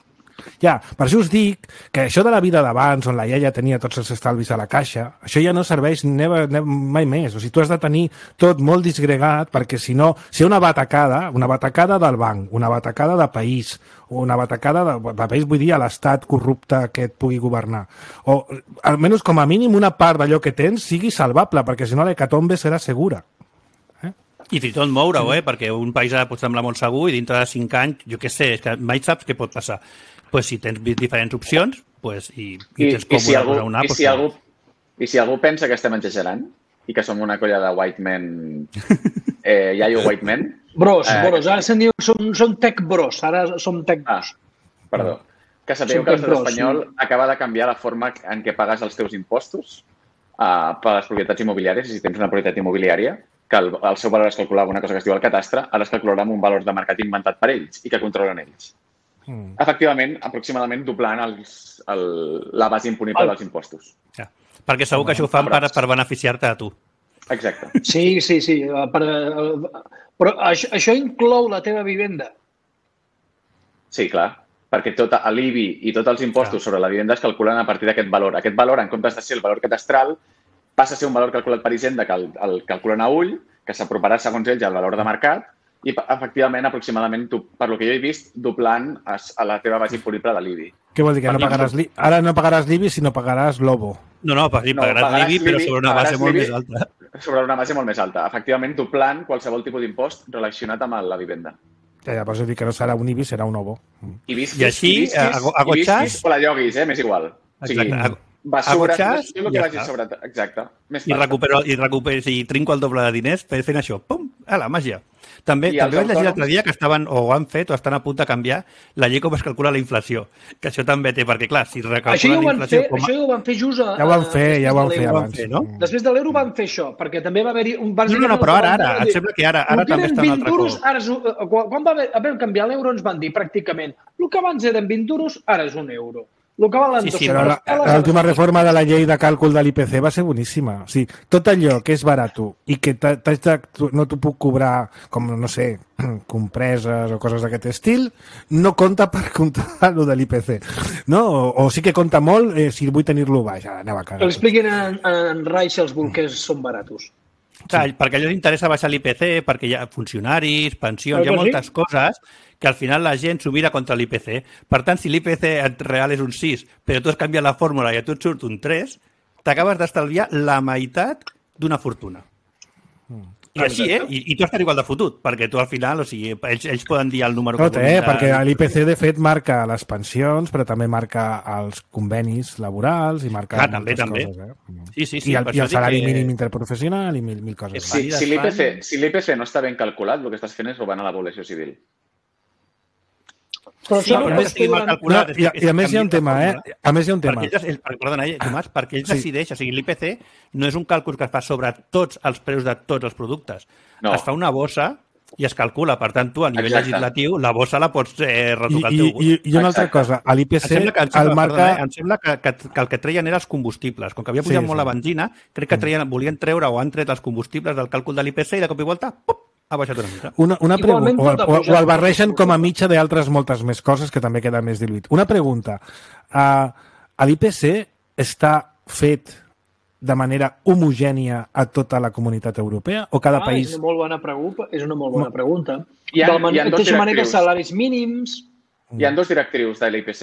Speaker 2: Ja, per això us dic que això de la vida d'abans, on la iaia tenia tots els estalvis a la caixa, això ja no serveix mai més. O sigui, tu has de tenir tot molt disgregat, perquè si no, si una batacada del banc, una batacada de país, una batacada de país, vull dir, a l'estat corrupte que et pugui governar. O, almenys, com a mínim, una part d'allò que tens sigui salvable, perquè si no l'hecatombe serà segura.
Speaker 3: I fins i tot moure-ho, perquè un país pot semblar molt segur i dintre de 5 anys, jo què sé, és que mai saps què pot passar. Pues si tens diferents opcions i tens còmode posar una...
Speaker 4: I si algú pensa que estem exagerant i que som una colla de white men, iaio white men...
Speaker 5: Bros, ara se'n diu, som tech bros, ara som tech bros.
Speaker 4: Perdó. Que sapigueu que l'estat espanyol acaba de canviar la forma en què pagues els teus impostos per les propietats immobiliàries, si tens una propietat immobiliària, que el seu valor es calculava una cosa que es diu el catastre, ara es calcularà amb un valor de mercat inventat per ells i que controlen ells. Efectivament, aproximadament doblant la base imponible dels impostos.
Speaker 3: Ja. Perquè segur que això ho fan per beneficiar-te a tu.
Speaker 4: Exacte.
Speaker 5: Sí. Però això inclou la teva vivenda?
Speaker 4: Sí, clar. Perquè tot l'IBI i tots els impostos sobre la vivenda es calculen a partir d'aquest valor. Aquest valor, en comptes de ser el valor catastral, passa a ser un valor calculat per Hisenda que el calculen a ull, que s'aproparà segons ells al valor de mercat i, efectivament, aproximadament, per lo que jo he vist, doblant a la teva base imponible de l'IBI.
Speaker 2: Què vol dir? Que ara no pagaràs l'IBI, sinó pagaràs l'OBO.
Speaker 3: No, pagaràs l'IBI, però sobre una base molt més alta.
Speaker 4: Sobre una base molt més alta. Efectivament, doblant qualsevol tipus d'impost relacionat amb la vivenda.
Speaker 2: Ja, per això dic que no serà un IBI, serà un OBO.
Speaker 3: I així, a Gotxàs...
Speaker 4: O la lloguis, m'és igual.
Speaker 3: Exacte.
Speaker 4: Basures, exacte.
Speaker 3: I trinco el doble de diners fent això. Pum! La màgia. També vaig llegir l'altre dia que estaven, o han fet, o estan a punt de canviar la llei com es calcula la inflació. Que això també té, perquè clar, si recalculen la inflació...
Speaker 5: Això ja ho van fer just...
Speaker 2: Ja ho van fer abans.
Speaker 5: Després de l'euro van fer això, perquè també va haver-hi...
Speaker 3: No, però ara, em sembla que ara també està un altre cop.
Speaker 5: Quan vam canviar l'euro ens van dir pràcticament el que abans eren 20 duros, ara és un euro.
Speaker 2: L'última reforma de la llei de càlcul de l'IPC va ser boníssima. O sigui, tot allò que és barat i que no t'ho puc cobrar com, no sé, compreses o coses d'aquest estil, no compta per comptar lo de l'IPC. No? O sí que compta molt si vull tenir-lo baix. Anava a cagar.
Speaker 5: Que l'expliquin en Rai si els bolquers són baratos.
Speaker 3: Clar, perquè a ells interessa baixar l'IPC, perquè hi ha funcionaris, pensions, hi ha moltes coses que al final la gent s'ho mira contra l'IPC. Per tant, si l'IPC real és un 6, però tu has canviat la fórmula i a tu et surt un 3, t'acabes d'estalviar la meitat d'una fortuna. I així, I tu estàs igual de fotut, perquè tu al final, o sigui, ells poden dir el número...
Speaker 2: Tot, perquè l'IPC, de fet, marca les pensions, però també marca els convenis laborals i marca moltes coses.
Speaker 3: Sí.
Speaker 2: I el salari mínim interprofessional i mil coses.
Speaker 4: Si l'IPC no està ben calculat, el que estàs fent és robar a la població civil.
Speaker 5: Però això
Speaker 2: I a més hi ha un tema,
Speaker 3: Perdona, Tomàs, perquè ells decideixen, o sigui, l'IPC no és un càlcul que es fa sobre tots els preus de tots els productes. Es fa una bossa i es calcula. Per tant, tu, a nivell legislatiu, la bossa la pots retocar al teu gust.
Speaker 2: I una altra cosa, a l'IPC
Speaker 3: em sembla que el que treien eren els combustibles. Com que havia pujat molt la benzina, crec que volien treure o han tret els combustibles del càlcul de l'IPC i de cop i volta, ha baixat una mica.
Speaker 2: Una pregunta, o el barregen com a mitja d'altres moltes més coses que també queda més diluït. Una pregunta, l'IPC està fet de manera homogènia a tota la comunitat europea o cada país...
Speaker 5: És una molt bona pregunta. De la mateixa manera, salaris mínims...
Speaker 4: Hi ha dos directrius de l'IPC.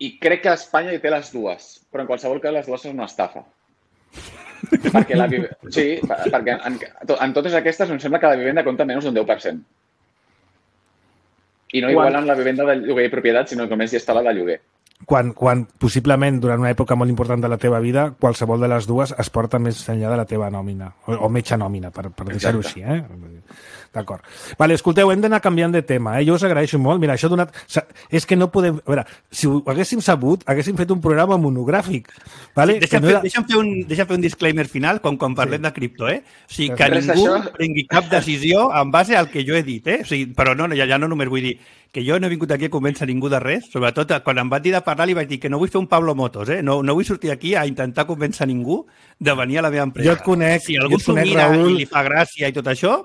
Speaker 4: I crec que Espanya hi té les dues, però en qualsevol cas les dues són una estafa. Perquè en totes aquestes em sembla que la vivenda compta menys d'un 10%. I no igualen la vivenda de lloguer i propietat, sinó que només hi està la de lloguer.
Speaker 2: Quan possiblement durant una època molt important de la teva vida, qualsevol de les dues es porta més enllà de la teva nòmina, o mitja nòmina, per deixar-ho així. D'acord. Vale, escolteu, hem d'anar canviant de tema. Jo us agraeixo molt. Mira, això ha donat... És que no podem... A veure, si ho haguéssim sabut, haguéssim fet un programa monogràfic. Vale?
Speaker 3: Deixa'm fer un disclaimer final quan parlem de cripto, O sigui, que ningú prengui cap decisió en base al que jo he dit, O sigui, però ja no només vull dir que jo no he vingut aquí a convèncer ningú de res, sobretot quan em van dir de parlar li vaig dir que no vull fer un Pablo Motos, no vull sortir aquí a intentar convèncer ningú de venir a la meva empresa.
Speaker 2: Jo et conec,
Speaker 3: si algú s'ho mira i li fa gràcia i tot això,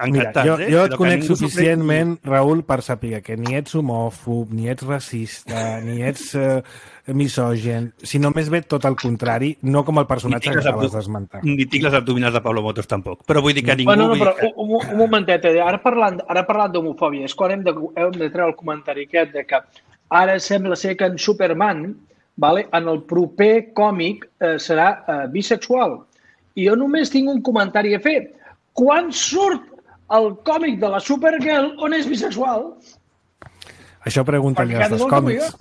Speaker 2: Mira, jo et conec suficientment, Raül, per saber que ni ets homòfob, ni ets racista, ni ets misògen, si només ve tot el contrari, no com el personatge que acabes d'esmentar.
Speaker 3: Ni tinc les abdominals de Pablo Motos, tampoc. Però vull dir que ningú...
Speaker 5: Un momentet, ara parlant d'homofòbia, és quan hem de treure el comentari aquest de que ara sembla ser que en Superman, en el proper còmic, serà bisexual. I jo només tinc un comentari a fer. Quan surt el còmic de la Supergirl on és bisexual?
Speaker 2: Això pregunten-li als dos còmics.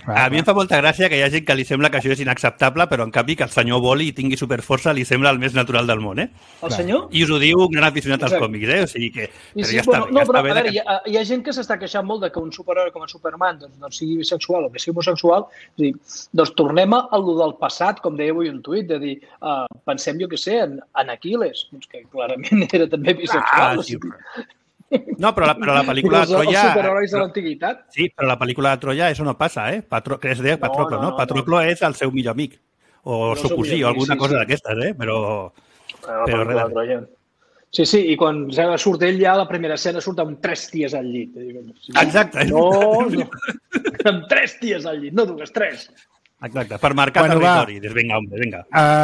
Speaker 3: A mi em fa molta gràcia que hi ha gent que li sembla que això és inacceptable, però en canvi que el senyor voli i tingui superforça li sembla el més natural del món,
Speaker 5: El senyor?
Speaker 3: I us ho diu un gran aficionat als còmics, O sigui que... Però ja està bé.
Speaker 5: No, però a veure, hi ha gent que s'està queixant molt de que un superheroi com a Superman doncs sigui bisexual o que sigui homosexual. És a dir, doncs tornem a lo del passat, com deia avui un tuit, de dir, pensem, jo què sé, en Aquiles, que clarament era també bisexual.
Speaker 3: No, però la pel·lícula de Troia...
Speaker 5: Els superherois de l'antiguitat.
Speaker 3: Sí, però la pel·lícula de Troia això no passa, que es deia Patroclo, no? Patroclo és el seu millor amic. O el seu cosí, o alguna cosa d'aquestes, Però res.
Speaker 5: Sí, i quan surt ell ja a la primera escena surt amb 3 ties al llit.
Speaker 3: Exacte.
Speaker 5: No, amb 3 ties al llit, no dues, 3.
Speaker 3: Exacte, per marcar territori. Vinga.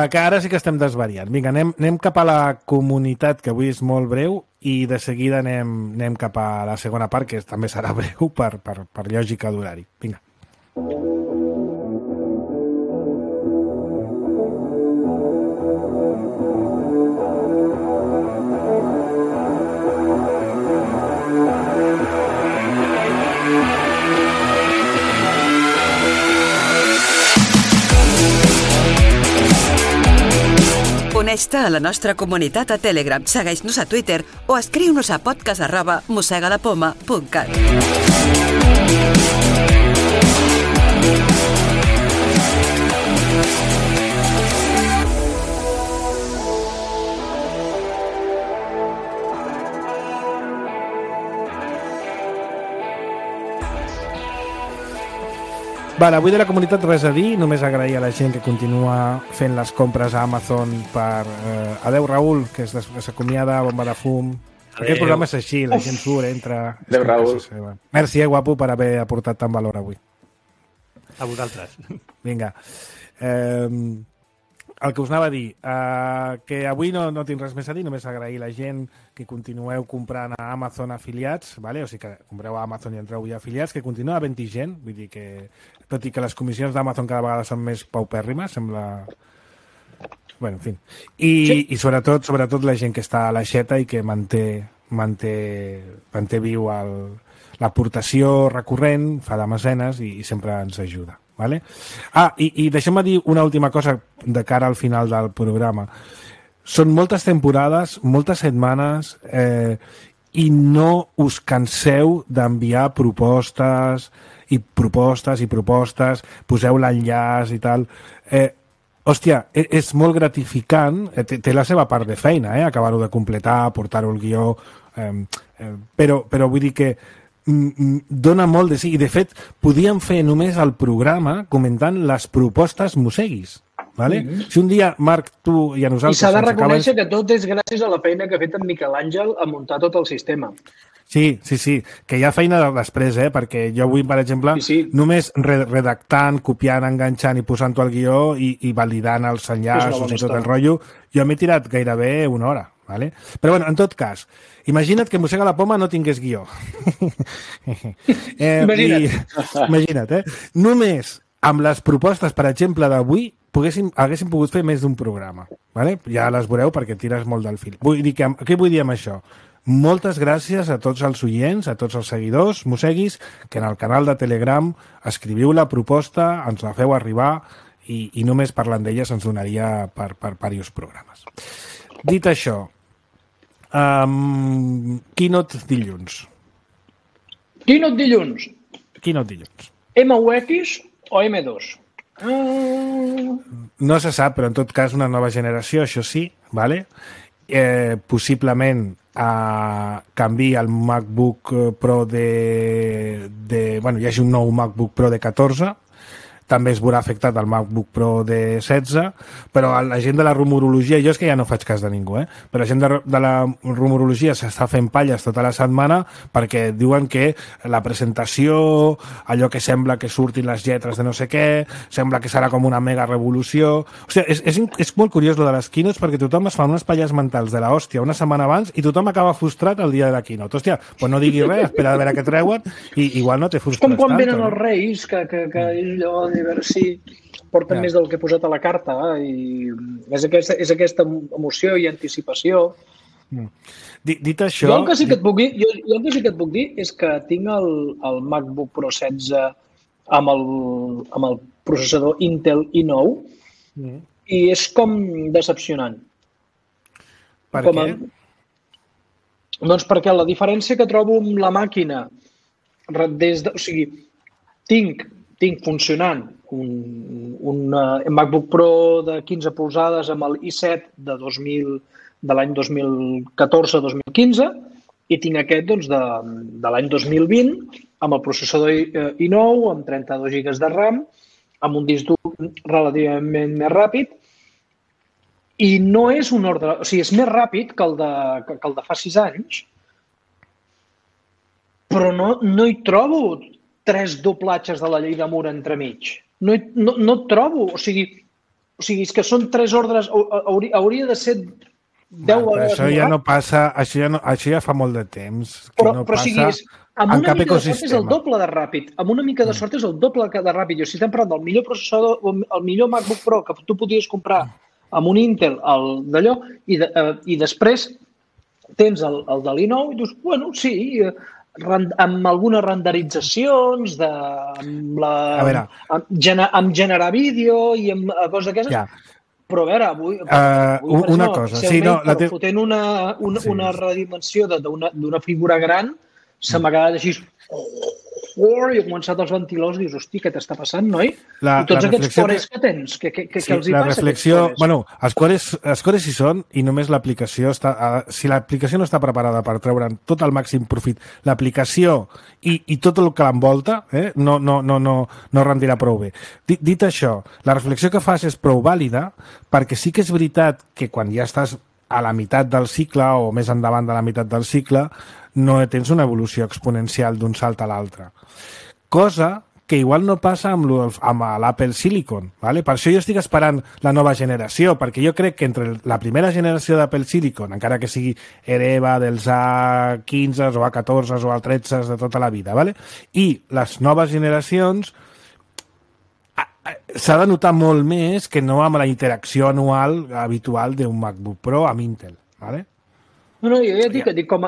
Speaker 2: Que ara sí que estem desvariant. Vinga, anem cap a la comunitat, que avui és molt breu, i de seguida anem cap a la segona part, que també serà breu per lògica d'horari. Vinga.
Speaker 6: Uneix-te a la nostra comunitat a Telegram, segueix-nos a Twitter o escriu-nos a podcast@mossegalapoma.cat.
Speaker 2: Vale, avui de la comunitat res a dir, només agrair a la gent que continua fent les compres a Amazon per... Adeu, Raül, que s'acomiada, bomba de fum. Aquest programa és així, la gent surt, entra...
Speaker 4: Adeu, Raül.
Speaker 2: Merci, guapo, per haver aportat tant valor avui.
Speaker 3: A vosaltres.
Speaker 2: Vinga. El que us anava a dir, que avui no tinc res més a dir, només agrair a la gent que continueu comprant a Amazon afiliats, vale? O sigui que compreu a Amazon i entreu ja afiliats, que continua havent-hi gent, vull dir que, tot i que les comissions d'Amazon cada vegada són més paupèrrimes, sembla... Bueno, en fi. I sobretot la gent que està a l'aixeta i que manté viu l'aportació recurrent, fa de mecenes i sempre ens ajuda. Vale? I deixem-me dir una última cosa de cara al final del programa. Són moltes temporades, moltes setmanes, i no us canseu d'enviar propostes, poseu l'enllaç i tal. Hòstia, és molt gratificant, té la seva part de feina, acabar-ho de completar, portar-ho al guió, però vull dir que dona molt de sí. I, de fet, podíem fer només el programa comentant les propostes mosseguis. Vale? Si un dia, Marc, tu i a nosaltres...
Speaker 5: I s'ha de reconèixer que tot és gràcies a la feina que ha fet en Miquel Àngel a muntar tot el sistema.
Speaker 2: Sí, que hi ha feina després, perquè jo avui, per exemple, només redactant, copiant, enganxant i posant-ho al guió i validant els enllaços i tot el rotllo, jo m'he tirat gairebé una hora. Vale? Però bueno, en tot cas, imagina't que Mossega la Poma no tingués guió. Imagina't, Només amb les propostes, per exemple, d'avui, haguéssim pogut fer més d'un programa. Vale? Ja les veureu perquè tires molt del fil. Què vull dir amb això? Moltes gràcies a tots els oients, a tots els seguidors, mosseguis, que en el canal de Telegram escriviu la proposta, ens la feu arribar i només parlant d'elles ens donaria per diversos programes. Dit això, Keynote dilluns.
Speaker 5: Keynote dilluns. MUX o M2?
Speaker 2: No se sap, però en tot cas una nova generació, això sí, vale? Possiblement canvi el MacBook Pro bueno, hi hagi un nou MacBook Pro de 14. també es veurà afectat el MacBook Pro de 16, però la gent de la rumorologia, jo és que ja no faig cas de ningú, però la gent de la rumorologia s'està fent palles tota la setmana perquè diuen que la presentació, allò que sembla que surtin les lletres de no sé què, sembla que serà com una mega revolució. O sigui, és molt curiós lo de les keynotes perquè tothom es fa unes palles mentals de l'hòstia una setmana abans i tothom acaba frustrat el dia de la keynote. Hòstia, doncs no diguis res, espera a veure què treuen i igual no te frustres tant.
Speaker 5: És com quan venen els Reis, que és allò de veure si porten més del que he posat a la carta i és aquesta emoció i anticipació.
Speaker 2: Dit això...
Speaker 5: Jo el que sí que et puc dir és que tinc el MacBook Pro 16 amb el processador Intel i9 i és com decepcionant.
Speaker 2: Per què?
Speaker 5: Doncs perquè la diferència que trobo amb la màquina o sigui, tinc funcionant un MacBook Pro de 15 polzades amb el i7 de l'any 2014-2015 i tinc aquest doncs, de l'any 2020 amb el processador i9, amb 32 GB de RAM, amb un disc dur relativament més ràpid i no és un ordre... O sigui, és més ràpid que el de fa 6 anys, però no hi trobo 3 doblatges de la llei de Moore entremig. No et trobo. O sigui, és que són 3 ordres... Hauria de ser 10 vegades
Speaker 2: això ja no passa... Això ja fa molt de temps que no passa
Speaker 5: amb
Speaker 2: en cap
Speaker 5: mica
Speaker 2: ecosistema.
Speaker 5: De sort és el doble de ràpid. Amb una mica de sort és el doble de ràpid. Si estem parlant del millor processador, el millor MacBook Pro que tu podies comprar amb un Intel d'allò i després tens el de l'i9 i dius, bueno, sí, amb algunes renderitzacions, amb generar vídeo i amb coses d'aquestes.
Speaker 2: Ja.
Speaker 5: Però a veure, avui
Speaker 2: una cosa. Sí, no,
Speaker 5: fotent una redimensió d'una figura gran, se m'ha quedat així i he començat els ventiladors i dius, hosti, què t'està passant, noi? I tots aquests cores que tens, què els hi passa?
Speaker 2: La reflexió, bueno, els cores hi són i només l'aplicació està... Si l'aplicació no està preparada per treure'n tot el màxim profit, l'aplicació i tot el que l'envolta no rendirà prou bé. Dit això, la reflexió que fas és prou vàlida perquè sí que és veritat que quan ja estàs a la meitat del cicle o més endavant de la meitat del cicle no tens una evolució exponencial d'un salt a l'altre. Cosa que igual no passa amb l'Apple Silicon. ¿vale? Per això jo estic esperant la nova generació, perquè jo crec que entre la primera generació d'Apple Silicon, encara que sigui hereva dels A15 o A14 o A13 de tota la vida, ¿vale? I les noves generacions s'ha de notar molt més que no amb la interacció anual habitual d'un MacBook Pro amb Intel. ¿vale?
Speaker 5: No, jo ja dic com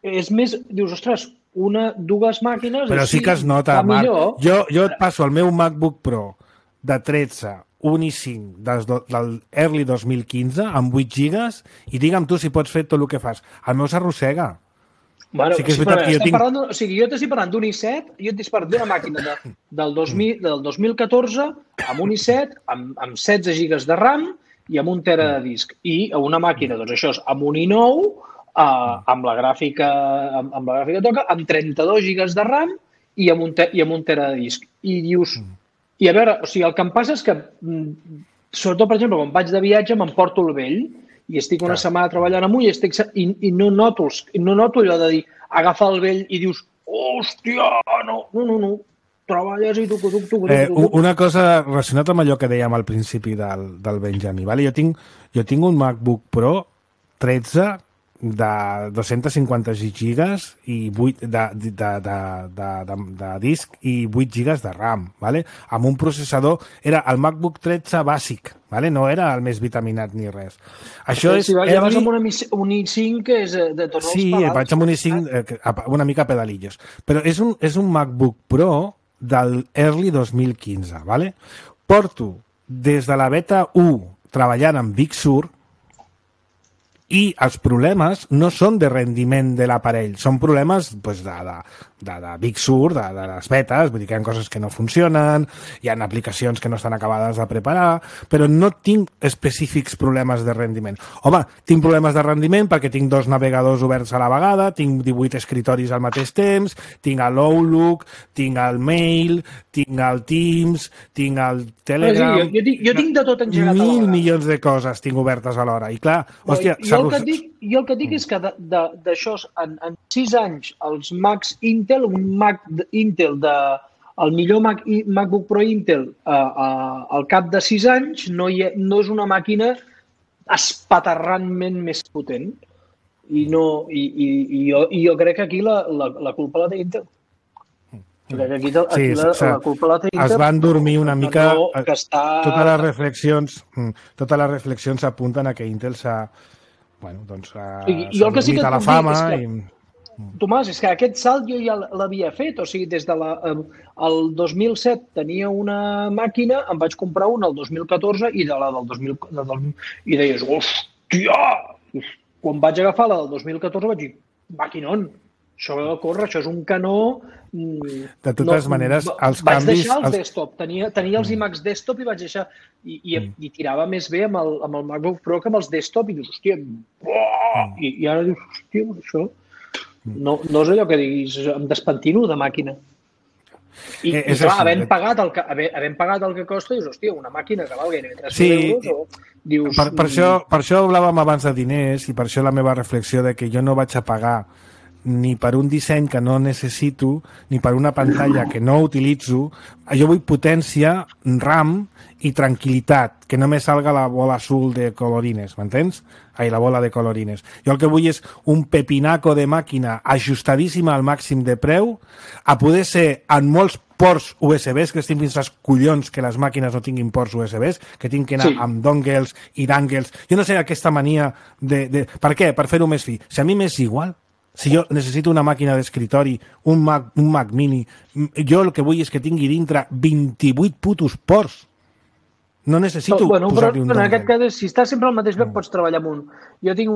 Speaker 5: és més, dius, ostres, dues màquines...
Speaker 2: Però sí que es nota, Marc. Jo et passo el meu MacBook Pro de 13, un i5 del early 2015 amb 8 gigas i digue'm tu si pots fer tot el que fas. El meu s'arrossega.
Speaker 5: Bueno, sí que és veritat que jo tinc... O sigui, jo t'estic parlant d'un i7, jo t'estic parlant d'una màquina del 2014 amb un i7, amb 16 gigas de RAM i amb un tera de disc. I una màquina, doncs això és amb un i9, amb la gràfica toca, amb 32 gigas de RAM i amb un tera de disc. I dius... I a veure, o sigui, el que em passa és que, sobretot, per exemple, quan vaig de viatge m'emporto el vell i estic una setmana treballant amb ull i no noto allò de dir agafar el vell i dius, hòstia, no. Treballes i tu.
Speaker 2: Una cosa relacionada amb allò que dèiem al principi del Benjamí. Vale? Jo tinc un MacBook Pro 13 de 250 gigas i 8 de disc i 8 gigas de RAM, vale? Amb un processador, era el MacBook 13 bàsic, vale? No era el més vitaminat ni res. Això és...
Speaker 5: Ja vas amb un i5 que és de tornar els pedals.
Speaker 2: Sí, vaig amb un i5 una mica pedalillos. Però és un MacBook Pro del early 2015, vale? Porto des de la beta 1 treballant amb Big Sur I els problemes no són de rendiment de l'aparell, són problemes de Big Sur, de les betes, vull dir que hi ha coses que no funcionen, hi ha aplicacions que no estan acabades de preparar, però no tinc específics problemes de rendiment. Home, tinc problemes de rendiment perquè tinc 2 navegadors oberts a la vegada, tinc 18 escritoris al mateix temps, tinc l'Outlook, tinc el Mail, tinc el Teams, tinc el Telegram...
Speaker 5: Jo tinc de tot engegat a la vegada.
Speaker 2: 1.000 milions de coses tinc obertes alhora. I clar, hòstia...
Speaker 5: Jo el que dic és que d'això, en 6 anys, els Macs Intel, un Mac Intel, el millor MacBook Pro Intel, al cap de 6 anys, no és una màquina espaterrantment més potent. I jo crec que aquí la culpa la té Intel. La culpa la té Intel.
Speaker 2: Es van dormir una mica... Totes les reflexions apunten a que Intel s'ha... Bueno, doncs dormit a la fama i...
Speaker 5: Tomàs, és que aquest salt jo ja l'havia fet, o sigui, des del 2007 tenia una màquina, em vaig comprar una el 2014 i de la del 2014 i deies, hòstia! Quan vaig agafar la del 2014 vaig dir, maquinon, això corre, això és un canó...
Speaker 2: De totes maneres, els canvis...
Speaker 5: Vaig deixar els desktop, tenia els iMacs desktop i vaig deixar... I tirava més bé amb el MacBook Pro que amb els desktop i dius, hòstia, i ara dius, hòstia, això... No és allò que diguis, em despentino de màquina. I clar, havent pagat el que costa, dius, hòstia, una màquina que val gairebé 3.000 euros, o dius...
Speaker 2: Per això hablàvem abans de diners i per això la meva reflexió de que jo no vaig a pagar ni per un disseny que no necessito, ni per una pantalla que no utilitzo. Jo vull potència, RAM i tranquil·litat, que no me salga la bola azul de colorines, m'entens? La bola de colorines. Jo el que vull és un pepinaco de màquina ajustadíssima al màxim de preu, a poder ser en molts ports USBs, que estic fins als collons que les màquines no tinguin ports USBs, que tinc que anar amb dongles i dangles. Jo no sé aquesta mania de... Per què? Per fer-ho més fi. Si a mi m'és igual, si jo necessito una màquina d'escritori, un Mac mini, jo el que vull és que tingui dintre 28 putos ports. No necessito posar-li un dongle.
Speaker 5: En aquest cas, si estàs sempre al mateix lloc, pots treballar amb un... Jo tinc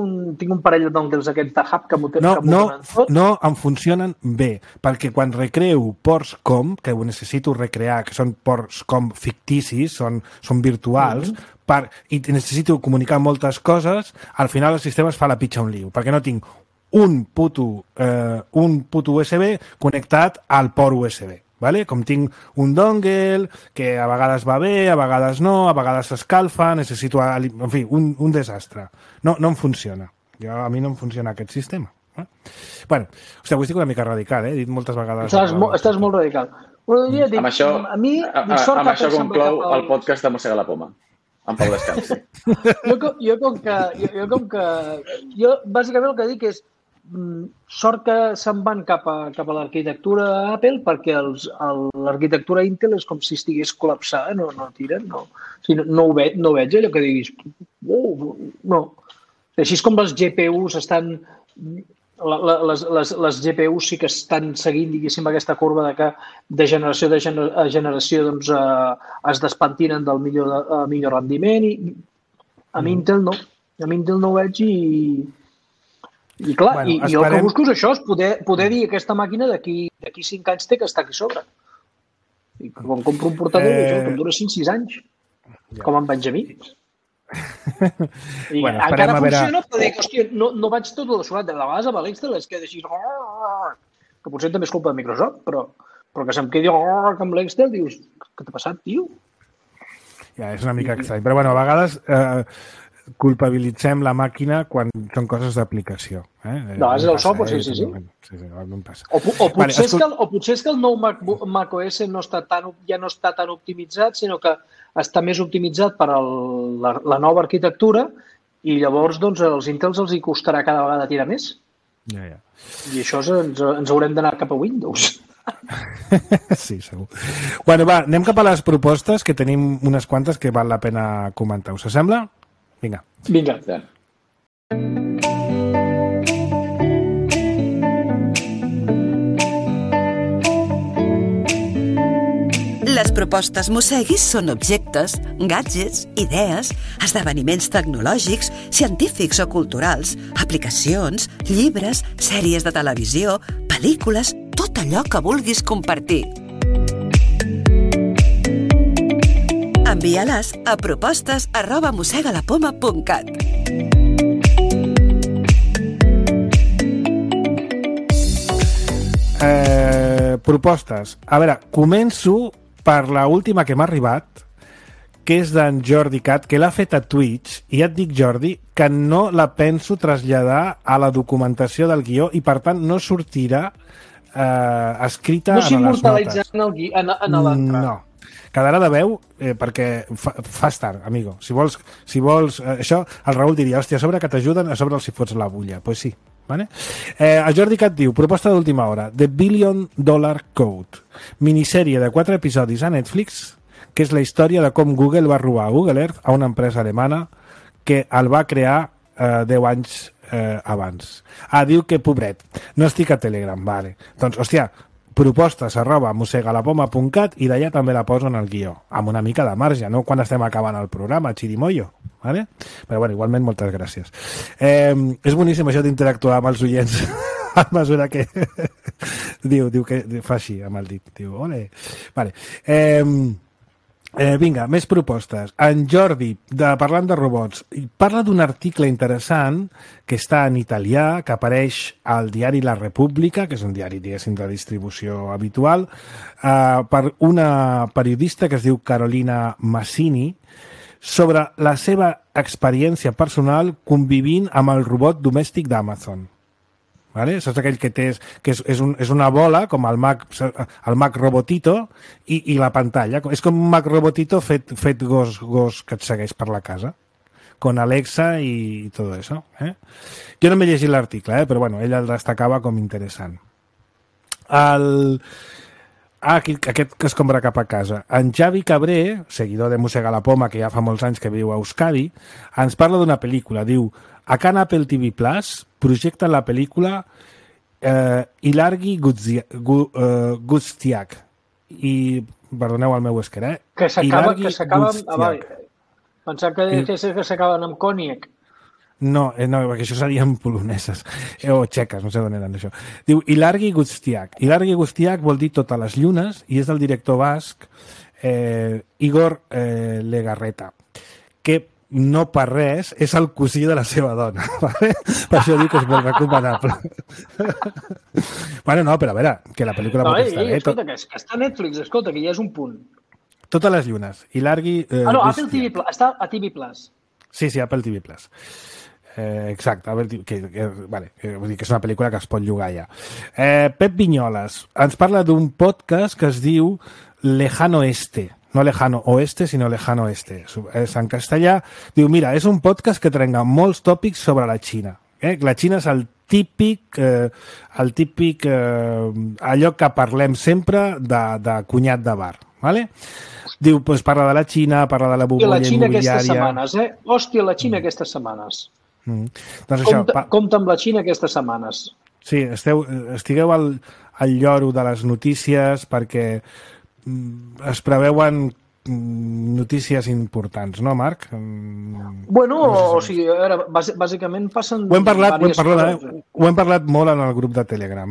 Speaker 5: un parell de dongles aquests de hub que m'ho tenen tot.
Speaker 2: No, em funcionen bé, perquè quan recreo ports com, que ho necessito recrear, que són ports com ficticis, són virtuals, i necessito comunicar moltes coses, al final el sistema es fa la pitxa un liu, perquè no tinc un puto USB connectat al port USB. Vale? Com tinc un dongle que a vegades va bé, a vegades no, a vegades s'escalfa, necessito... En fi, un desastre. No em funciona. A mi no em funciona aquest sistema. Bueno, hòstia, avui estic una mica radical, He dit moltes vegades...
Speaker 5: Estàs molt radical.
Speaker 4: Amb això conclou el podcast de Mossega la Poma. En Pau Descansi.
Speaker 5: Jo bàsicament el que dic és sort que se'n van cap a l'arquitectura Apple perquè l'arquitectura Intel és com si estigués col·lapsada, no tiren, no. O sigui, no veig allò que diguis, no. Així és com les GPUs estan... Les GPUs sí que estan seguint, diguéssim, aquesta corba de que de generació a generació doncs, es despentinen del millor rendiment i amb Intel no. Amb Intel no ho veig i clar, i jo el que busco és això, és poder dir que aquesta màquina d'aquí 5 anys té que estar aquí sobre. I quan compro un portàtil, que em dura 6 anys, com en Benjamí. I encara funciona, però dic, hòstia, no vaig tot dessolat. De vegades amb l'Excel és que així... Que potser també és culpa de Microsoft, però que se'm quedi amb l'Excel, dius, què t'ha passat, tio?
Speaker 2: Ja, és una mica estrany. Però, bueno, a vegades culpabilitzem la màquina quan són coses d'aplicació.
Speaker 5: No, és el software, sí. O potser és que el nou macOS ja no està tan optimitzat, sinó que està més optimitzat per a la nova arquitectura i llavors doncs, als Intels els hi costarà cada vegada tirar més.
Speaker 2: Ja.
Speaker 5: I això ens haurem d'anar cap a Windows.
Speaker 2: Sí, segur. Bueno, va, anem cap a les propostes, que tenim unes quantes que val la pena comentar. Us sembla? Vinga.
Speaker 6: Les propostes Mosseguis són objectes, gadgets, idees, esdeveniments tecnològics, científics o culturals, aplicacions, llibres, sèries de televisió, pel·lícules, tot allò que vulguis compartir. Envia-les a propostes@mossegalapoma.cat.
Speaker 2: Propostes. A veure, començo per la última que m'ha arribat, que és d'en Jordi Cat, que l'ha fet a Twitch, i ja et dic, Jordi, que no la penso traslladar a la documentació del guió i, per tant, no sortirà escrita
Speaker 5: no
Speaker 2: en les notes.
Speaker 5: No s'immortalitza en l'entrada.
Speaker 2: No. Quedarà de veu perquè fas tard, amigo. Si vols això, el Raül diria, hòstia, a sobre que t'ajuden, a sobre els hi fots la bulla. Doncs pues sí. Vale? El Jordi Cat diu, proposta d'última hora, The $1 Billion Code, minissèrie de 4 episodis a Netflix, que és la història de com Google va robar Google Earth a una empresa alemana que el va crear 10 anys abans. Diu que, pobret, no estic a Telegram, vale. Doncs, hòstia, propostes@mossegalapoma.cat i d'allà també la poso en el guió, amb una mica de marge, no quan estem acabant el programa, xirimoyo, vale? Però bueno, igualment moltes gràcies. És boníssim això d'interactuar amb els oients a mesura que diu que fa així amb el dit, diu, ole. Vale. Vinga, més propostes. En Jordi, parlant de robots, parla d'un article interessant que està en italià, que apareix al diari La Repubblica, que és un diari, diguéssim, de distribució habitual, per una periodista que es diu Carolina Massini, sobre la seva experiència personal convivint amb el robot domèstic d'Amazon. Vale? Saps aquell que té, que és una bola com el Mac Robotito i la pantalla, és com un Mac Robotito fet gos que et segueix per la casa con Alexa y todo eso. Jo no m'he llegit l'article, però bueno, ella el destacava com interessant. Aquest que es compra cap a casa. En Xavi Cabré, seguidor de Mossega la Poma, que ja fa molts anys que viu a Euskadi, ens parla d'una pel·lícula. Diu, a Can Apple TV Plus projecta la pel·lícula Ilargi Guztiak. I, perdoneu el meu esquer,
Speaker 5: Que s'acaba... Pensava que s'acaben amb còniac.
Speaker 2: No, perquè això serien poloneses o txeques, no sé d'on eren això. Diu Ilargi Guztiak. Ilargi Guztiak vol dir totes les llunes i és del director basc Igor Legarreta, que no per res és el cosí de la seva dona. Vale? Per això dic que és molt recomanable. Bueno, no, però a veure, que la pel·lícula pot estar bé.
Speaker 5: Escolta, que està a Netflix, escolta, que ja és un punt.
Speaker 2: Totes les llunes. Ilargi...
Speaker 5: no, Apple TV Plus. Està a TV Plus.
Speaker 2: Sí, Apple TV Plus. Exacte, vull dir que és una pel·lícula que es pot llogar ja. Pep Vinyoles ens parla d'un podcast que es diu Lejano Este, no Lejano Oeste, sinó Lejano Este, és en castellà. Diu, mira, és un podcast que trenca molts tòpics sobre la Xina. La Xina és el típic allò que parlem sempre de cunyat de bar, vale? Diu, doncs parla de la Xina, parla de la bombolla immobiliària...
Speaker 5: Hòstia, la Xina aquestes setmanes.
Speaker 2: Doncs això,
Speaker 5: compta amb la Xina aquestes setmanes.
Speaker 2: Sí, estigueu al lloro de les notícies perquè es preveuen notícies importants, no, Marc?
Speaker 5: Bueno, o sigui, bàsicament passen...
Speaker 2: Ho hem parlat molt en el grup de Telegram,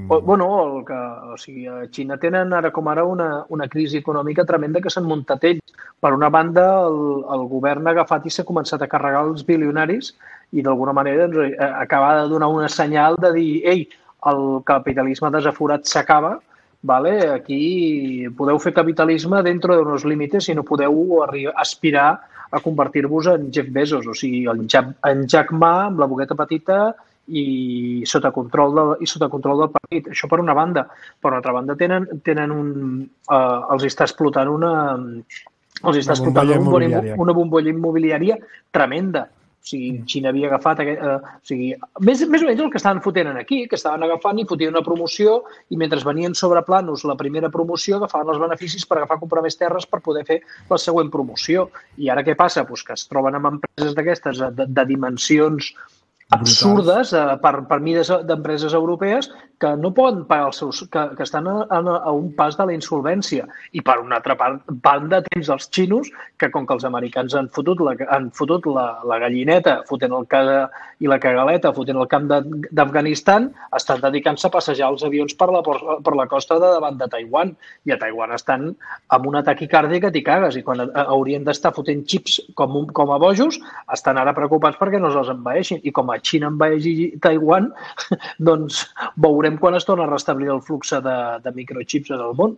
Speaker 5: Bueno, o sigui, a Xina tenen ara com ara una crisi econòmica tremenda que s'han muntat ells. Per una banda, el govern ha agafat i s'ha començat a carregar els bilionaris i d'alguna manera acaba de donar una senyal de dir, ei, el capitalisme desaforat s'acaba, vale? Aquí podeu fer capitalisme dentro de unos límites i no podeu aspirar a convertir-vos en Jeff Bezos, o sigui, en Jack Ma amb la boqueta petita i sota control del partit. Això per una banda. Per una altra banda, els està explotant una bombolla immobiliària tremenda. O sigui, Xina havia agafat... més o menys el que estaven fotent aquí, que estaven agafant i fotien una promoció i mentre venien sobre planos la primera promoció agafaven els beneficis per comprar més terres per poder fer la següent promoció. I ara què passa? Pues que es troben amb empreses d'aquestes de dimensions absurdes per mides d'empreses europees que no poden pagar els seus... que estan a un pas de la insolvència. I per una altra banda tens els xinos, que com que els americans han fotut la gallineta fotent el i la cagaleta fotent el camp d'Afganistan, estan dedicant-se a passejar els avions per la costa de davant de Taiwan. I a Taiwan estan amb un atac cardíac que t'hi cagues. I quan haurien d'estar fotent xips com a bojos, estan ara preocupats perquè no se'ls envaeixin. I com a Xina envaeixi Taiwan, doncs veurem quan es torna a restablir el flux de microchips en el món.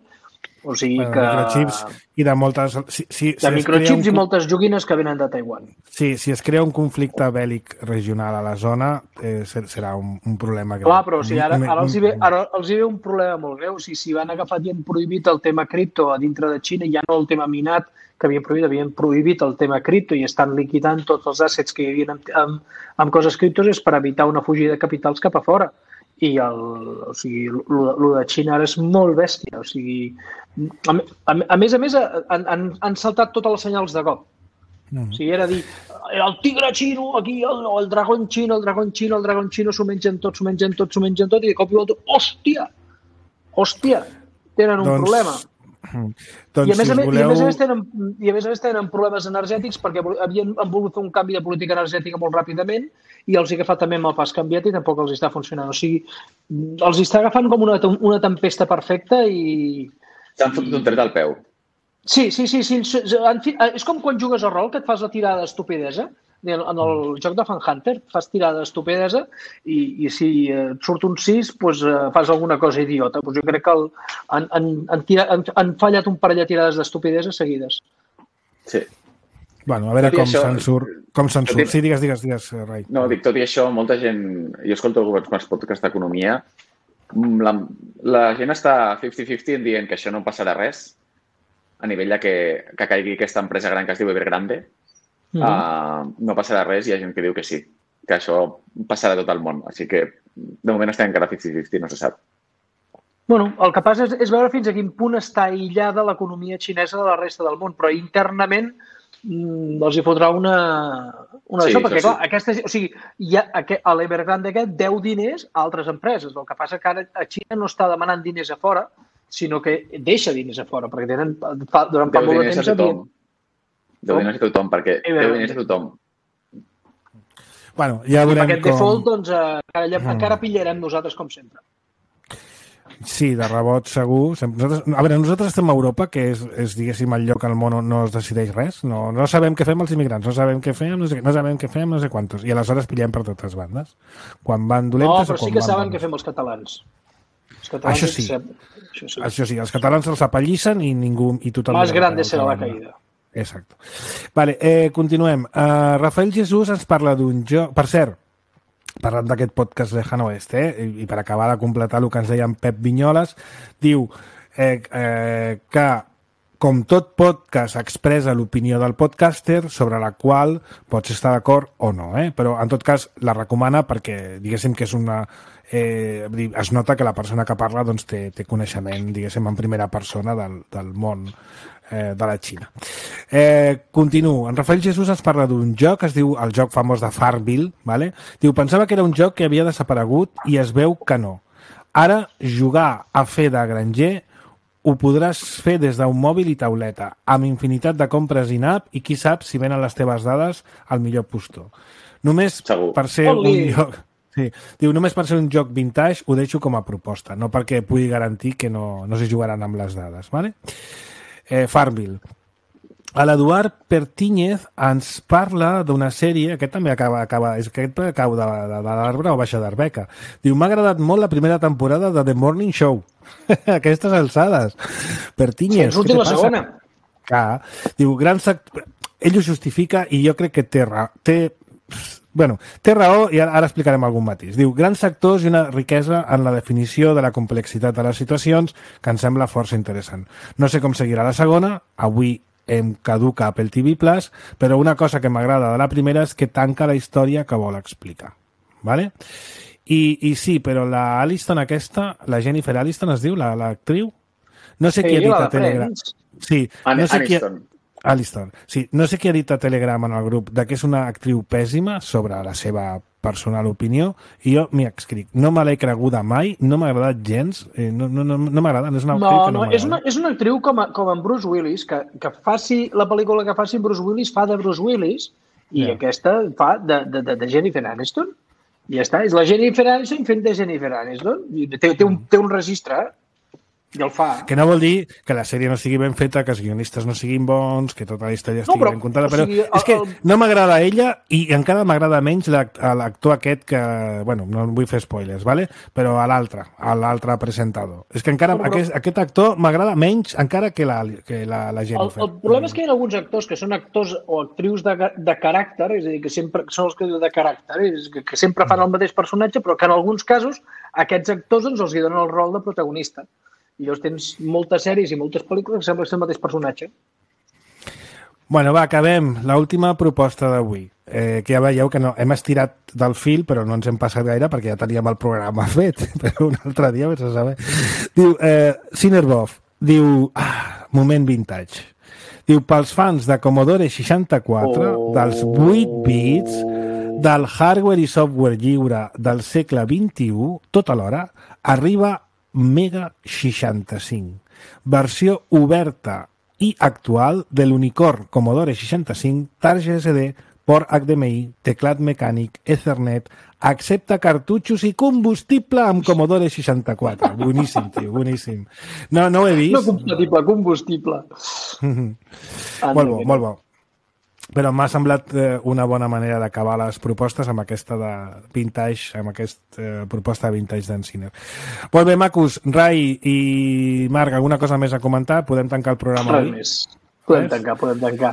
Speaker 5: O sigui que...
Speaker 2: Microchips i de moltes...
Speaker 5: de microchips i moltes joguines que venen de Taiwan.
Speaker 2: Sí, si es crea un conflicte bèl·lic regional a la zona, serà un problema greu.
Speaker 5: Clar, però ara els hi ve un problema molt greu. Si van agafat i han prohibit el tema cripto a dintre de Xina, ja no el tema minat, que havien prohibit el tema cripto i estan liquidant tots els assets que hi havia amb coses criptos, és per evitar una fugida de capitals cap a fora. I el de Xina ara és molt bèstia. O sigui, a més, han saltat tots els senyals de cop. O sigui, era dir, el tigre xino, aquí, el dragón xino, s'ho mengen tot, i de cop i volta, hòstia, tenen un problema. I a més a més tenen problemes energètics perquè han volgut fer un canvi de política energètica molt ràpidament i els ha agafat també amb el pas canviat i tampoc els està funcionant. O sigui, els està agafant com una tempesta perfecta i...
Speaker 4: S'han fotut un tret al peu.
Speaker 5: Sí. És com quan jugues a rol, que et fas la tirada d'estupidesa. En el joc de Fan Hunter fas tirada d'estupidesa i si et surt un 6 doncs fas alguna cosa idiota. Jo crec que han fallat un parell de tirades d'estupidesa seguides.
Speaker 4: Sí.
Speaker 2: Bueno, a veure com se'n surt. Sí, digues, Rai.
Speaker 4: No, dic, tot i això, molta gent... Jo escolto alguns podcasts d'economia. La gent està 50-50 dient que això no passarà res a nivell de que caigui aquesta empresa gran que es diu Evergrande. No passarà res i hi ha gent que diu que sí, que això passarà a tot el món. Així que, de moment, estem encara 50-50, no se sap.
Speaker 5: Bueno, el que passa és veure fins a quin punt està aïllada l'economia xinesa de la resta del món, però internament els hi fotrà una d'això, perquè, clar, l'Evergrande aquest deu diners a altres empreses. El que passa que ara a Xina no està demanant diners a fora, sinó que deixa diners a fora, perquè tenen durant fa molt de temps...
Speaker 4: Deu diners a tothom, perquè deu diners a tothom.
Speaker 2: Bueno, ja veurem com...
Speaker 5: I aquest default, doncs, encara pillarem nosaltres, com sempre.
Speaker 2: Sí, de rebot segur. Nosaltres estem a Europa, que és diguéssim, el lloc al món on no es decideix res. No sabem què fem els immigrants, no sabem què fem, no sabem què fem, no sé quantos. I aleshores pillem per totes bandes. Quan van dolentes o quan van...
Speaker 5: No, però sí que saben què fem els catalans.
Speaker 2: Això sí, els catalans els apallissen i ningú...
Speaker 5: Más grande serà la caïda.
Speaker 2: Exacte. Vale, continuem. Rafael Jesús ens parla d'un joc... Per cert, parlant d'aquest podcast Lejano Oeste, i per acabar de completar el que ens deia en Pep Vinyoles, diu que com tot podcast expressa l'opinió del podcaster sobre la qual pots estar d'acord o no, però en tot cas la recomana perquè diguéssim que és una... es nota que la persona que parla doncs, té coneixement, diguéssim, en primera persona del món de la Xina. Continuo. En Rafael Jesús ens parla d'un joc, es diu el joc famós de Farmville, ¿vale? Diu, pensava que era un joc que havia desaparegut i es veu que no. Ara, jugar a fer de granger ho podràs fer des d'un mòbil i tauleta, amb infinitat de compres in-app i qui sap si venen les teves dades al millor postor. Només per ser un joc... Sí. Diu, només per ser un joc vintage ho deixo com a proposta, no perquè pugui garantir que no s'hi jugaran amb les dades, ¿vale? Farmville. L'Eduard Pertíñez ens parla d'una sèrie, aquest també acaba de l'arbre o baixa d'Arbeca. Diu, m'ha agradat molt la primera temporada de The Morning Show. Aquestes alçades. Pertíñez,
Speaker 5: què te passa? Segona.
Speaker 2: Clar. Diu, ell ho justifica i jo crec que té raó i ara explicarem algun matís. Diu, grans sectors i una riquesa en la definició de la complexitat de les situacions que em sembla força interessant. No sé com seguirà la segona, avui em caduca Apple TV+, però una cosa que m'agrada de la primera és que tanca la història que vol explicar. ¿Vale? I sí, però la Aniston aquesta, la Jennifer Aniston es diu, l'actriu? No sé qui ha dit a Telegram. Sí, no sé qui... Aniston. Sí, no sé qui ha dit a Telegram en el grup que és una actriu pèssima sobre la seva personal opinió, i jo m'hi escric. No me l'he creguda mai, no m'ha agradat gens, no m'agrada, és una actriu que no m'agrada.
Speaker 5: És una actriu com en Bruce Willis, que faci la pel·lícula que faci Bruce Willis, fa de Bruce Willis, i aquesta fa de Jennifer Aniston. I ja està, és la Jennifer Aniston fent de Jennifer Aniston. Té un registre, i el fa.
Speaker 2: Que no vol dir que la sèrie no sigui ben feta, que els guionistes no siguin bons, que tota la història estigui ben contada, però és que no m'agrada ella i encara m'agrada menys l'actor aquest que, bueno, no vull fer spoilers, ¿vale? Però a l'altre presentador. És que encara aquest actor m'agrada menys encara que la Jennifer.
Speaker 5: El problema és que hi ha alguns actors que són actors o actrius de caràcter, és a dir, que sempre són els que diuen de caràcter, que sempre fan el mateix personatge, però que en alguns casos aquests actors ens els donen el rol de protagonista. I llavors tens moltes sèries i moltes pel·lícules que sembla que és el mateix personatge.
Speaker 2: Bueno, va, acabem. L'última proposta d'avui. Que ja veieu que no, hem estirat del fil, però no ens hem passat gaire perquè ja teníem el programa fet. Però un altre dia vés a saber. Diu, Cinerbov, diu, moment vintage. Diu, pels fans de Commodore 64, dels 8 bits, del hardware i software lliure del segle XXI, tot alhora, arriba Mega 65, versió oberta i actual de l'Unicorn Commodore 65, tarja SD, port HDMI, teclat mecànic, Ethernet, accepta cartutxos i combustible amb Commodore 64. Boníssim, tio, boníssim. No ho he vist.
Speaker 5: No compatible, combustible.
Speaker 2: Molt bo. Però m'ha semblat una bona manera d'acabar les propostes amb aquesta de vintage, amb aquesta proposta de vintage d'en Ciner. Molt bé, macos. Rai i Marc, alguna cosa més a comentar? Podem tancar el programa avui?
Speaker 5: Res més. Podem tancar.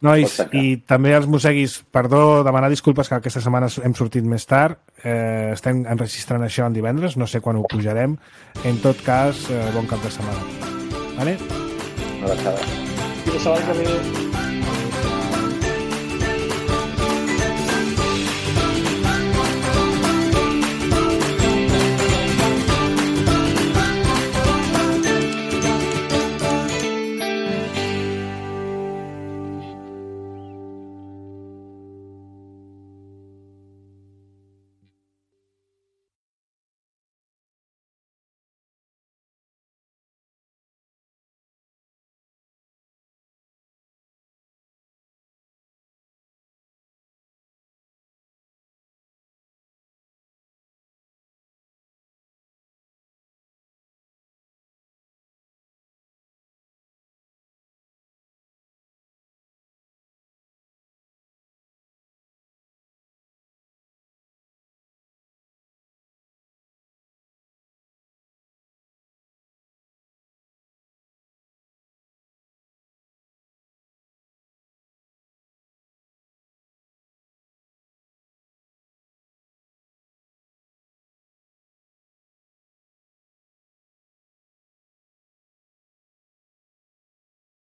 Speaker 2: Nois, i també els mosseguis, perdó, demanar disculpes que aquesta setmana hem sortit més tard. Estem enregistrant això en divendres, no sé quan ho pujarem. En tot cas, bon cap de setmana. Vale?
Speaker 4: Una abraçada.
Speaker 5: Fins la setmana que ve.